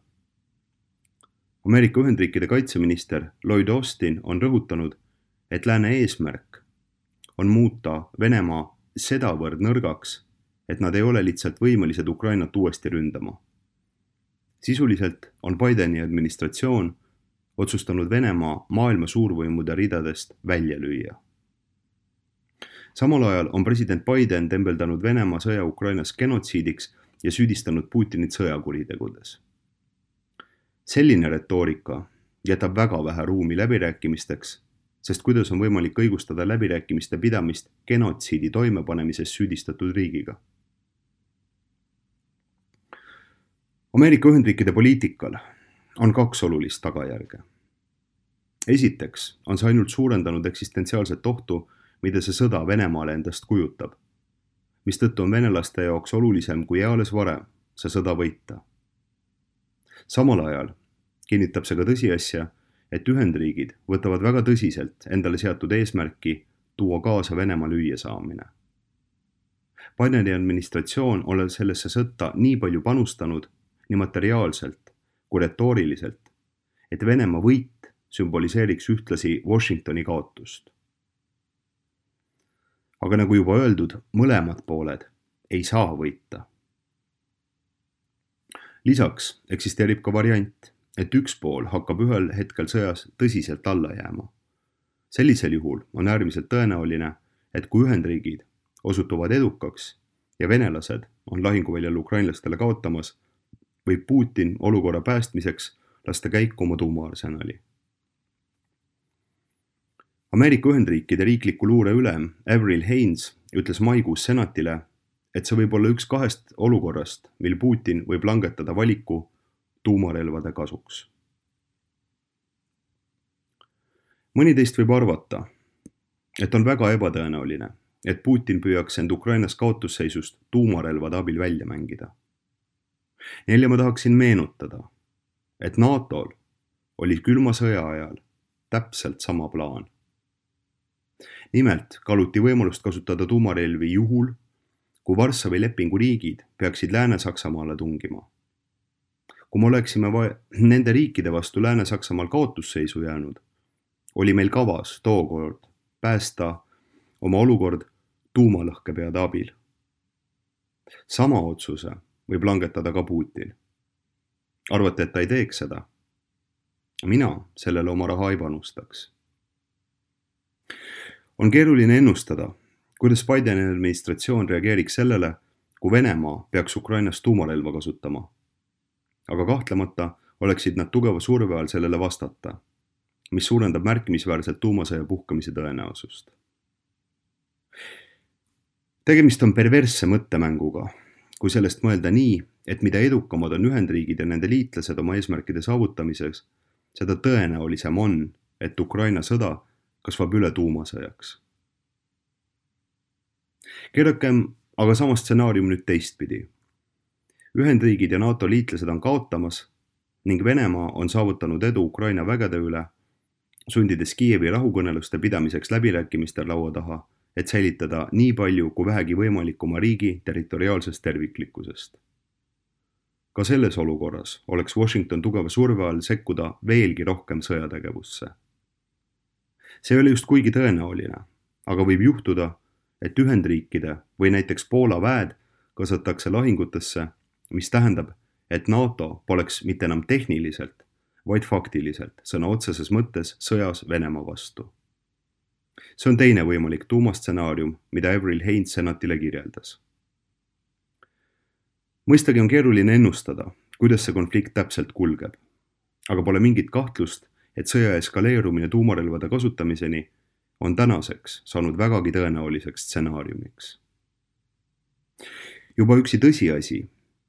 Ameerika Ühendriikide kaitseminister Lloyd Austin on rõhutanud, et lääne eesmärk on muuta Venemaa sedavõrd nõrgaks, et nad ei ole lihtsalt võimelised Ukrainat uuesti ründama. Sisuliselt on Bideni administratsioon otsustanud Venemaa maailma suurvõimude ridadest välja lüüa. Samal ajal on president Biden tembeldanud Venemaa sõja Ukrainas genotsiidiks ja süüdistanud Putinit sõjakuritegudes. Selline retoorika jätab väga vähe ruumi läbirääkimisteks, sest kuidas on võimalik õigustada läbirääkimiste pidamist genotsiidi toimepanemises süüdistatud riigiga. Ameerika Ühendriikide poliitikal on kaks olulist tagajärge. Esiteks on see ainult suurendanud eksistentsiaalset ohtu, mida see sõda Venemaale endast kujutab, mistõttu on venelaste jaoks olulisem kui eales varem see sõda võita. Samal ajal kinnitab see ka tõsiasja, et Ühendriigid võtavad väga tõsiselt endale seatud eesmärki tuua kaasa Venemaa lüüa saamine. Bideni administratsioon on sellesse sõtta nii palju panustanud nii materiaalselt kui retooriliselt, et Venemaa võit sümboliseeriks ühtlasi Washingtoni kaotust. Aga nagu juba öeldud, mõlemad pooled ei saa võita. Lisaks eksisteerib ka variant, et üks pool hakkab ühel hetkel sõjas tõsiselt alla jääma. Sellisel juhul on äärmiselt tõenäoline, et kui Ühendriigid osutuvad edukaks ja venelased on lahinguväljal ukrainlastele kaotamas, võib Putin olukorra päästmiseks lasta käiku oma tuumaarsenali. Ameerika Ühendriikide riikliku luure ülem Avril Haines ütles maikuus senatile, et see võib olla üks kahest olukorrast, mil Putin võib langetada valiku tuumarelvade kasuks. Mõni teist võib arvata, et on väga ebatõenäoline, et Putin püüaks end Ukrainas kaotusseisust tuumarelvade abil välja mängida. Neile ma tahaksin meenutada, et NATOl oli külma sõja ajal täpselt sama plaan. Nimelt kaaluti võimalust kasutada tuumarelvi juhul, kui Varssavi lepingu riigid peaksid Lääne-Saksamaale tungima. Kui me oleksime nende riikide vastu Lääne-Saksamaal kaotusseisu jäänud, oli meil kavas tookord päästa oma olukord tuumalõhkepeade abil. Sama otsuse võib langetada ka Putin. Arvate, et ta ei teeks seda? Mina sellele oma raha ei panustaks. On keeruline ennustada, kuidas Bideni administratsioon reageeriks sellele, kui Venemaa peaks Ukrainas tuumarelva kasutama. Aga kahtlemata oleksid nad tugeva surve all sellele vastata, mis suurendab märkimisväärselt tuumasõja puhkamise tõenäosust. Tegemist on perversse mõttemänguga, kui sellest mõelda nii, et mida edukamad on Ühendriigid ja nende liitlased oma eesmärkide saavutamiseks, seda tõenäolisem on, et Ukraina sõda kasvab üle tuumasõjaks. Keerakem aga sama stsenaarium nüüd teistpidi. Ühendriigid ja NATO liitlased on kaotamas ning Venemaa on saavutanud edu Ukraina vägede üle, sundides Kiievi rahukõneluste pidamiseks läbirääkimistel laua taha, et säilitada nii palju kui vähegi võimalik oma riigi territoriaalsest terviklikkusest. Ka selles olukorras oleks Washington tugeva surve all sekkuda veelgi rohkem sõjategevusse. See oli just kuigi tõenäoline, aga võib juhtuda, et Ühendriikide või näiteks Poola väed kaasatakse lahingutesse, mis tähendab, et NATO poleks mitte enam tehniliselt, vaid faktiliselt sõna otseses mõttes sõjas Venemaa vastu. See on teine võimalik tuumastsenaarium, mida Avril Haines senatile kirjeldas. Mõistagi on keeruline ennustada, kuidas see konflikt täpselt kulgeb, aga pole mingit kahtlust, et sõja eskaleerumine tuumarelvade kasutamiseni on tänaseks saanud vägagi tõenäoliseks stsenaariumiks. Juba üksi tõsiasi,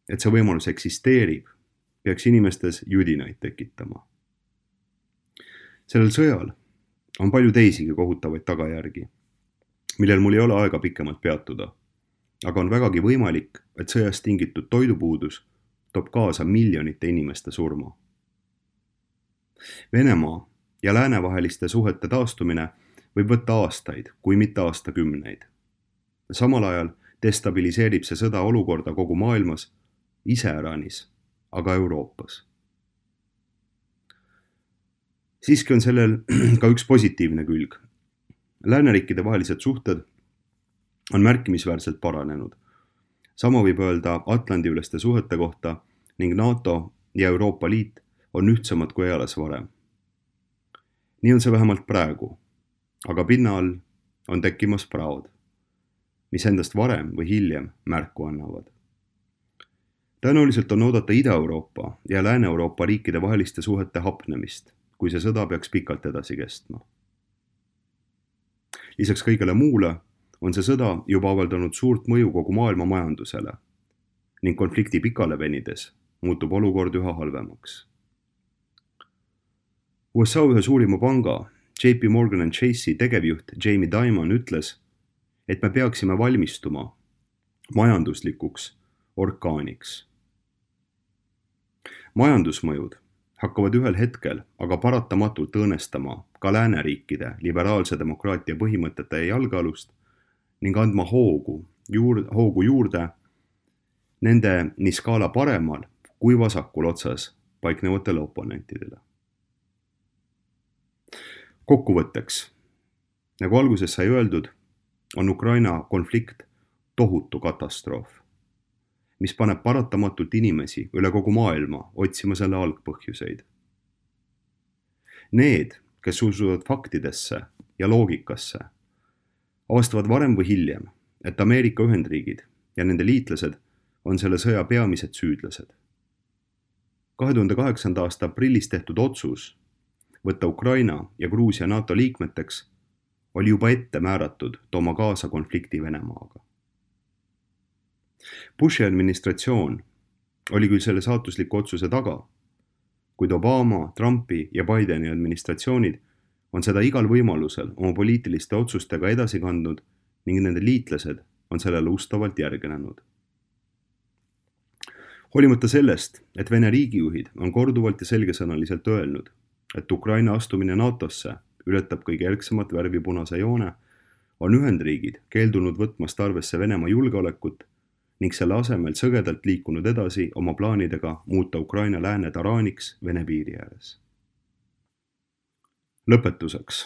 et see võimalus eksisteerib, peaks inimestes judinaid tekitama. Sellel sõjal on palju teisigi kohutavaid tagajärgi, millel mul ei ole aega pikemalt peatuda, aga on vägagi võimalik, et sõjast tingitud toidupuudus toob kaasa miljonite inimeste surma. Venemaa ja läänevaheliste suhete taastumine võib võtta aastaid, kui mitte aastakümneid. Samal ajal destabiliseerib see sõda olukorda kogu maailmas, iseäranis, aga Euroopas. Siiski on sellel ka üks positiivne külg. Lääneriikide vahelised suhted on märkimisväärselt paranenud. Sama võib öelda Atlandi-üleste suhete kohta ning NATO ja Euroopa Liit on ühtsamad kui eales varem. Nii on see vähemalt praegu, aga pinna all on tekkimas praod, mis endast varem või hiljem märku annavad. Tõenäoliselt on oodata Ida-Euroopa ja Lääne-Euroopa riikide vaheliste suhete hapnemist, kui see sõda peaks pikalt edasi kestma. Lisaks kõigele muule on see sõda juba avaldanud suurt mõju kogu maailma majandusele ning konflikti pikale venides muutub olukord üha halvemaks. USA ühe suurima panga JP Morgan & Chase'i tegevjuht Jamie Dimon ütles, et me peaksime valmistuma majanduslikuks orkaaniks. Majandusmõjud hakkavad ühel hetkel aga paratamatult õõnestama ka lääneriikide liberaalse demokraatia põhimõtete jalgealust ning andma hoogu juurde nende nii skaala paremal kui vasakul otsas paiknevatele oponentidele. Kokkuvõtteks, nagu alguses sai öeldud, on Ukraina konflikt tohutu katastroof, mis paneb paratamatult inimesi üle kogu maailma otsima selle algpõhjuseid. Need, kes usuvad faktidesse ja loogikasse, avastavad varem või hiljem, et Ameerika Ühendriigid ja nende liitlased on selle sõja peamised süüdlased. 2008. aasta aprillis tehtud otsus võtta Ukraina ja Gruusia NATO liikmeteks oli juba ette määratud tooma kaasa konflikti Venemaaga. Bushi administratsioon oli küll selle saatusliku otsuse taga, kuid Obama, Trumpi ja Bideni administratsioonid on seda igal võimalusel oma poliitiliste otsustega edasi kandnud ning nende liitlased on sellele ustavalt järgnenud. Hoolimata sellest, et Vene riigijuhid on korduvalt ja selgesõnaliselt öelnud, et Ukraina astumine NATOsse ületab kõige erksamat värvi punase joone, on Ühendriigid keeldunud võtmast arvesse Venemaa julgeolekut ning selle asemel sõgedalt liikunud edasi oma plaanidega muuta Ukraina lääne taraaniks Vene piiri ääres. Lõpetuseks.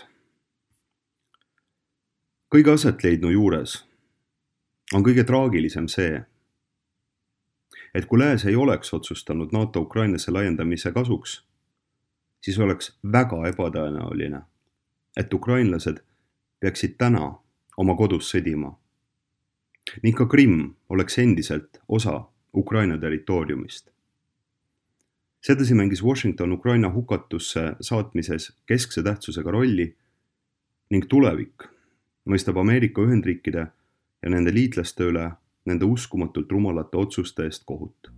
Kõige asetleidnu juures on kõige traagilisem see, et kui lääs ei oleks otsustanud NATO Ukrainasse laiendamise kasuks, siis oleks väga ebatõenäoline, et ukrainlased peaksid täna oma kodus sõdima. Ning ka Krimm oleks endiselt osa Ukraina territooriumist. Sedasi mängis Washington Ukraina hukatusse saatmises keskse tähtsusega rolli ning tulevik mõistab Ameerika Ühendriikide ja nende liitlaste üle nende uskumatult rumalate otsuste eest kohut.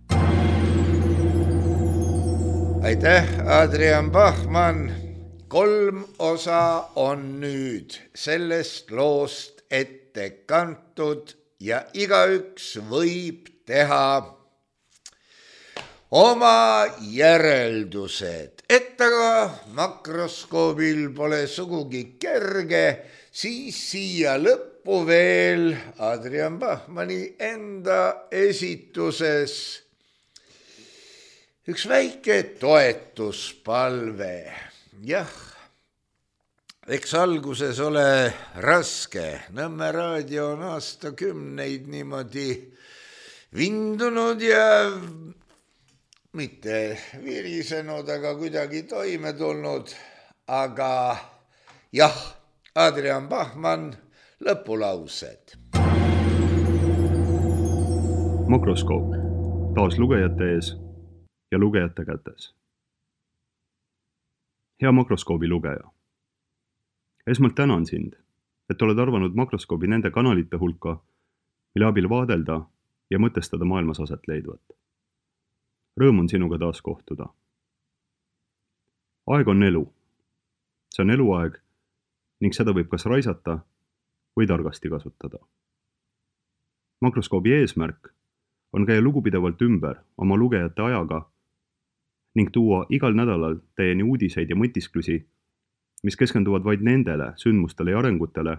Aitäh, Adrian Bachmann. 3 osa on nüüd sellest loost ette kantud ja igaüks võib teha oma järeldused. Et aga makroskoobil pole sugugi kerge, siis siia lõppu veel Adrian Bachmanni enda esituses üks väike toetuspalve. Jah, eks alguses ole raske. Nõmme raadio on aastakümneid niimoodi vindunud ja mitte virisenud, aga kuidagi toime tulnud. Aga jah, Adrian Bachmann, lõpulaused. Makroskoop, taas lugejate ees ja lugejate kätes. Hea makroskoobi lugeja. Esmalt tänan sind, et oled arvanud makroskoobi nende kanalite hulka, mille abil vaadelda ja mõtestada maailmas aset leidvat. Rõõm on sinuga taas kohtuda. Aeg on elu. See on eluaeg ning seda võib kas raisata või targasti kasutada. Makroskoobi eesmärk on käia lugupidevalt ümber oma lugejate ajaga ning tuua igal nädalal teieni uudiseid ja mõtisklusi, mis keskenduvad vaid nendele sündmustele ja arengutele,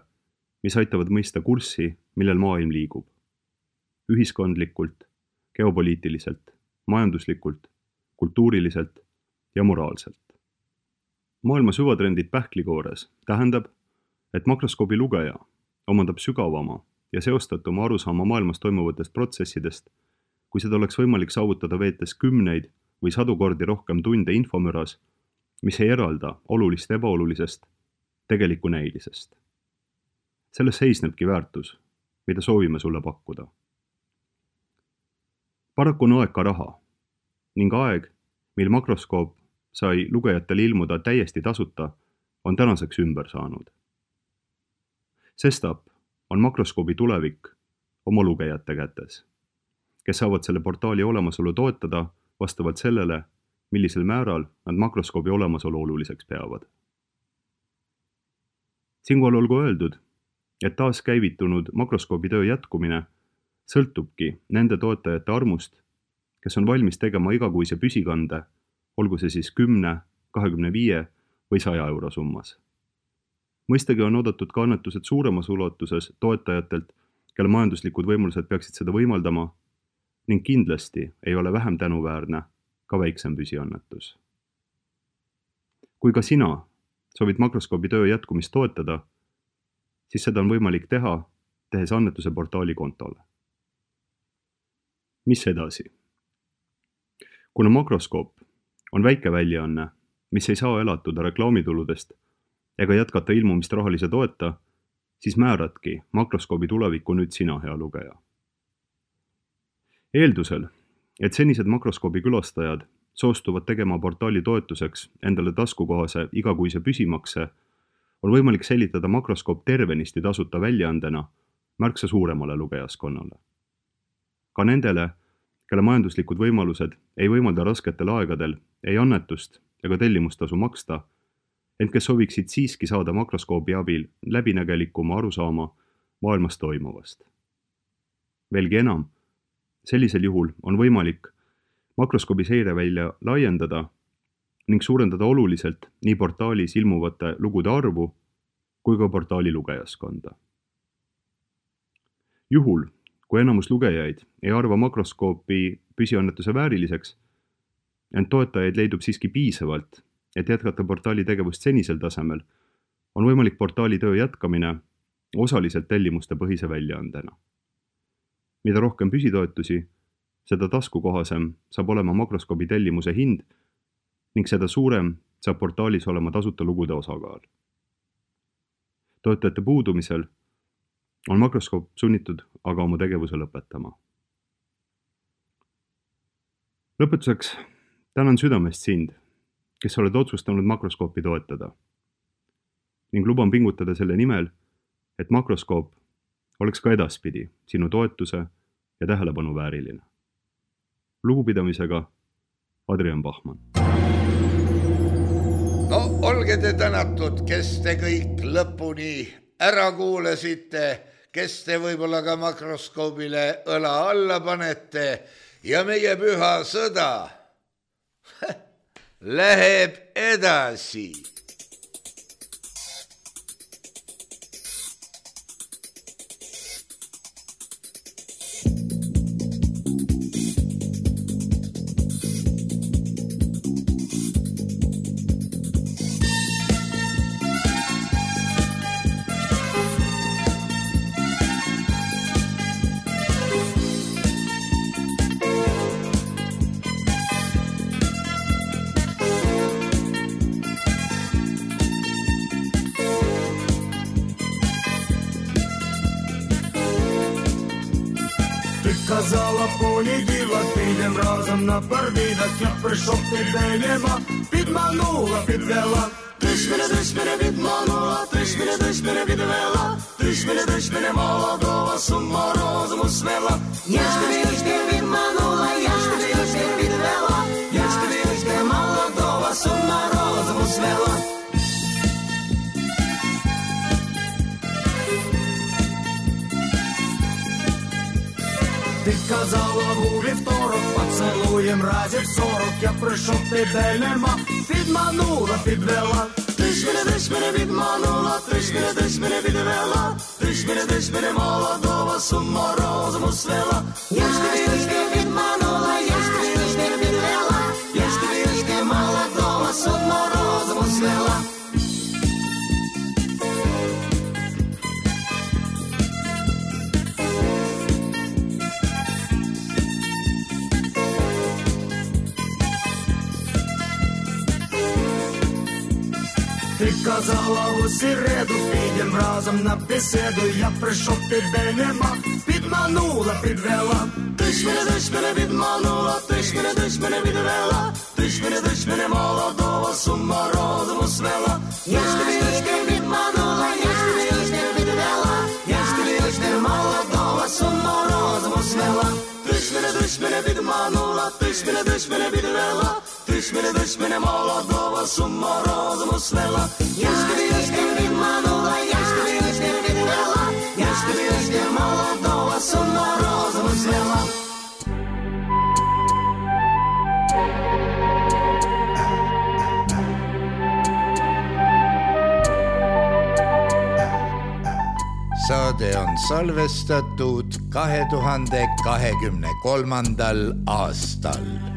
mis aitavad mõista kurssi, millel maailm liigub. Ühiskondlikult, geopoliitiliselt, majanduslikult, kultuuriliselt ja moraalselt. Maailma süvatrendid pähklikoores tähendab, et makroskoobi lugeja omandab sügavama ja seostatuma arusaama maailmas toimuvatest protsessidest, kui seda oleks võimalik saavutada veetes 10 või 100 kordi rohkem tunde infomüras, mis ei eralda olulist ebaolulisest tegeliku näilisest. Selles seisnebki väärtus, mida soovime sulle pakkuda. Paraku on aeg ka raha ning aeg, mil makroskoop sai lugejatele ilmuda täiesti tasuta, on tänaseks ümber saanud. Sestap on makroskoobi tulevik oma lugejate kätes, kes saavad selle portaali olemasolu toetada vastavalt sellele, millisel määral nad makroskoobi olemasolu oluliseks peavad. Siinkohal olgu öeldud, et taas käivitunud makroskoobi töö jätkumine sõltubki nende toetajate armust, kes on valmis tegema igakuise püsikande, olgu see siis 10, 25 või 100 euro summas. Mõistagi on oodatud ka annetused suuremas ulatuses toetajatelt, kelle majanduslikud võimalused peaksid seda võimaldama ning kindlasti ei ole vähem tänuväärne ka väiksem püsiannetus. Kui ka sina soovid makroskoobi töö jätkumist toetada, siis seda on võimalik teha, tehes annetuse portaali kontole. Mis edasi? Kuna makroskoop on väike väljaanne, mis ei saa elatuda reklaamituludest ega jätkata ilmumist rahalise toeta, siis määradki makroskoobi tulevikku nüüd sina, hea lugeja. Eeldusel, et senised makroskoobi külastajad soostuvad tegema portaali toetuseks endale taskukohase igakuise püsimakse, on võimalik säilitada makroskoop tervenisti tasuta väljaandena märksa suuremale lugejaskonnale. Ka nendele, kelle majanduslikud võimalused ei võimalda rasketel aegadel ei annetust ega tellimustasu maksta, ent kes sooviksid siiski saada makroskoobi abil läbinägelikuma arusaama maailmas toimuvast. Veelgi enam, sellisel juhul on võimalik makroskoobi seirevälja laiendada ning suurendada oluliselt nii portaalis ilmuvate lugude arvu kui ka portaali lugejaskonda. Juhul, kui enamus lugejaid ei arva makroskoopi püsiannetuse vääriliseks, ent toetajaid leidub siiski piisavalt, et jätkata portaali tegevust senisel tasemel, on võimalik portaali töö jätkamine osaliselt tellimuste põhise väljaandena. Mida rohkem püsitoetusi, seda taskukohasem saab olema makroskoobi tellimuse hind ning seda suurem saab portaalis olema tasuta lugude osakaal. Toetajate puudumisel on makroskoop sunnitud aga oma tegevuse lõpetama. Lõpetuseks tänan südamest sind, kes oled otsustanud makroskoopi toetada ning luban pingutada selle nimel, et makroskoop oleks ka edaspidi sinu toetuse ja tähelepanu vääriline. Lugupidamisega Adrian Bachmann. No olge te tänatud, kes te kõik lõpuni ära kuulasite, kes te võib-olla ka makroskoobile õla alla panete ja meie püha sõda läheb edasi. Казала понеділок, підем разом на парвідок. Я прийшов підвеліма, підманула, підвела. Ти ж мене відманула, ти ж мене відвела. Ти ж мене молодого сума розуму свела. Я ж тебе відманула, я ж тебе відвела. Я ж тебе молодого сума розуму свела. Ти казала у вівторок, поцелуєм разів 40. Я прийшов, тебе нема, підманула, підвела. Ти ж мене відманула, ти ж мене відвела. Ти ж мене молодого сума розуму свела. Я ж тебе відманула, я ж тебе відвела. Я ж тебе молодого сума розуму свела. Ти казала у середу, підем разом на беседу. Я прийшов, тебе нема, підманула, підвела. Ти ж мене відманула, ти ж мене відвела. Ти ж мене молодого сума розуму свела. Я ж тебе відманула, я ж тебе відвела. Я ж тебе молодого сума розуму свела. Ти ж мене відманула, ти ж мене відвела. Ти Tõšmine Molodova, summa roosama svela. Ješkine Vidmanova, ješkine Vidvela. Ješkine Molodova, summa roosama svela. Saade on salvestatud 2023. aastal.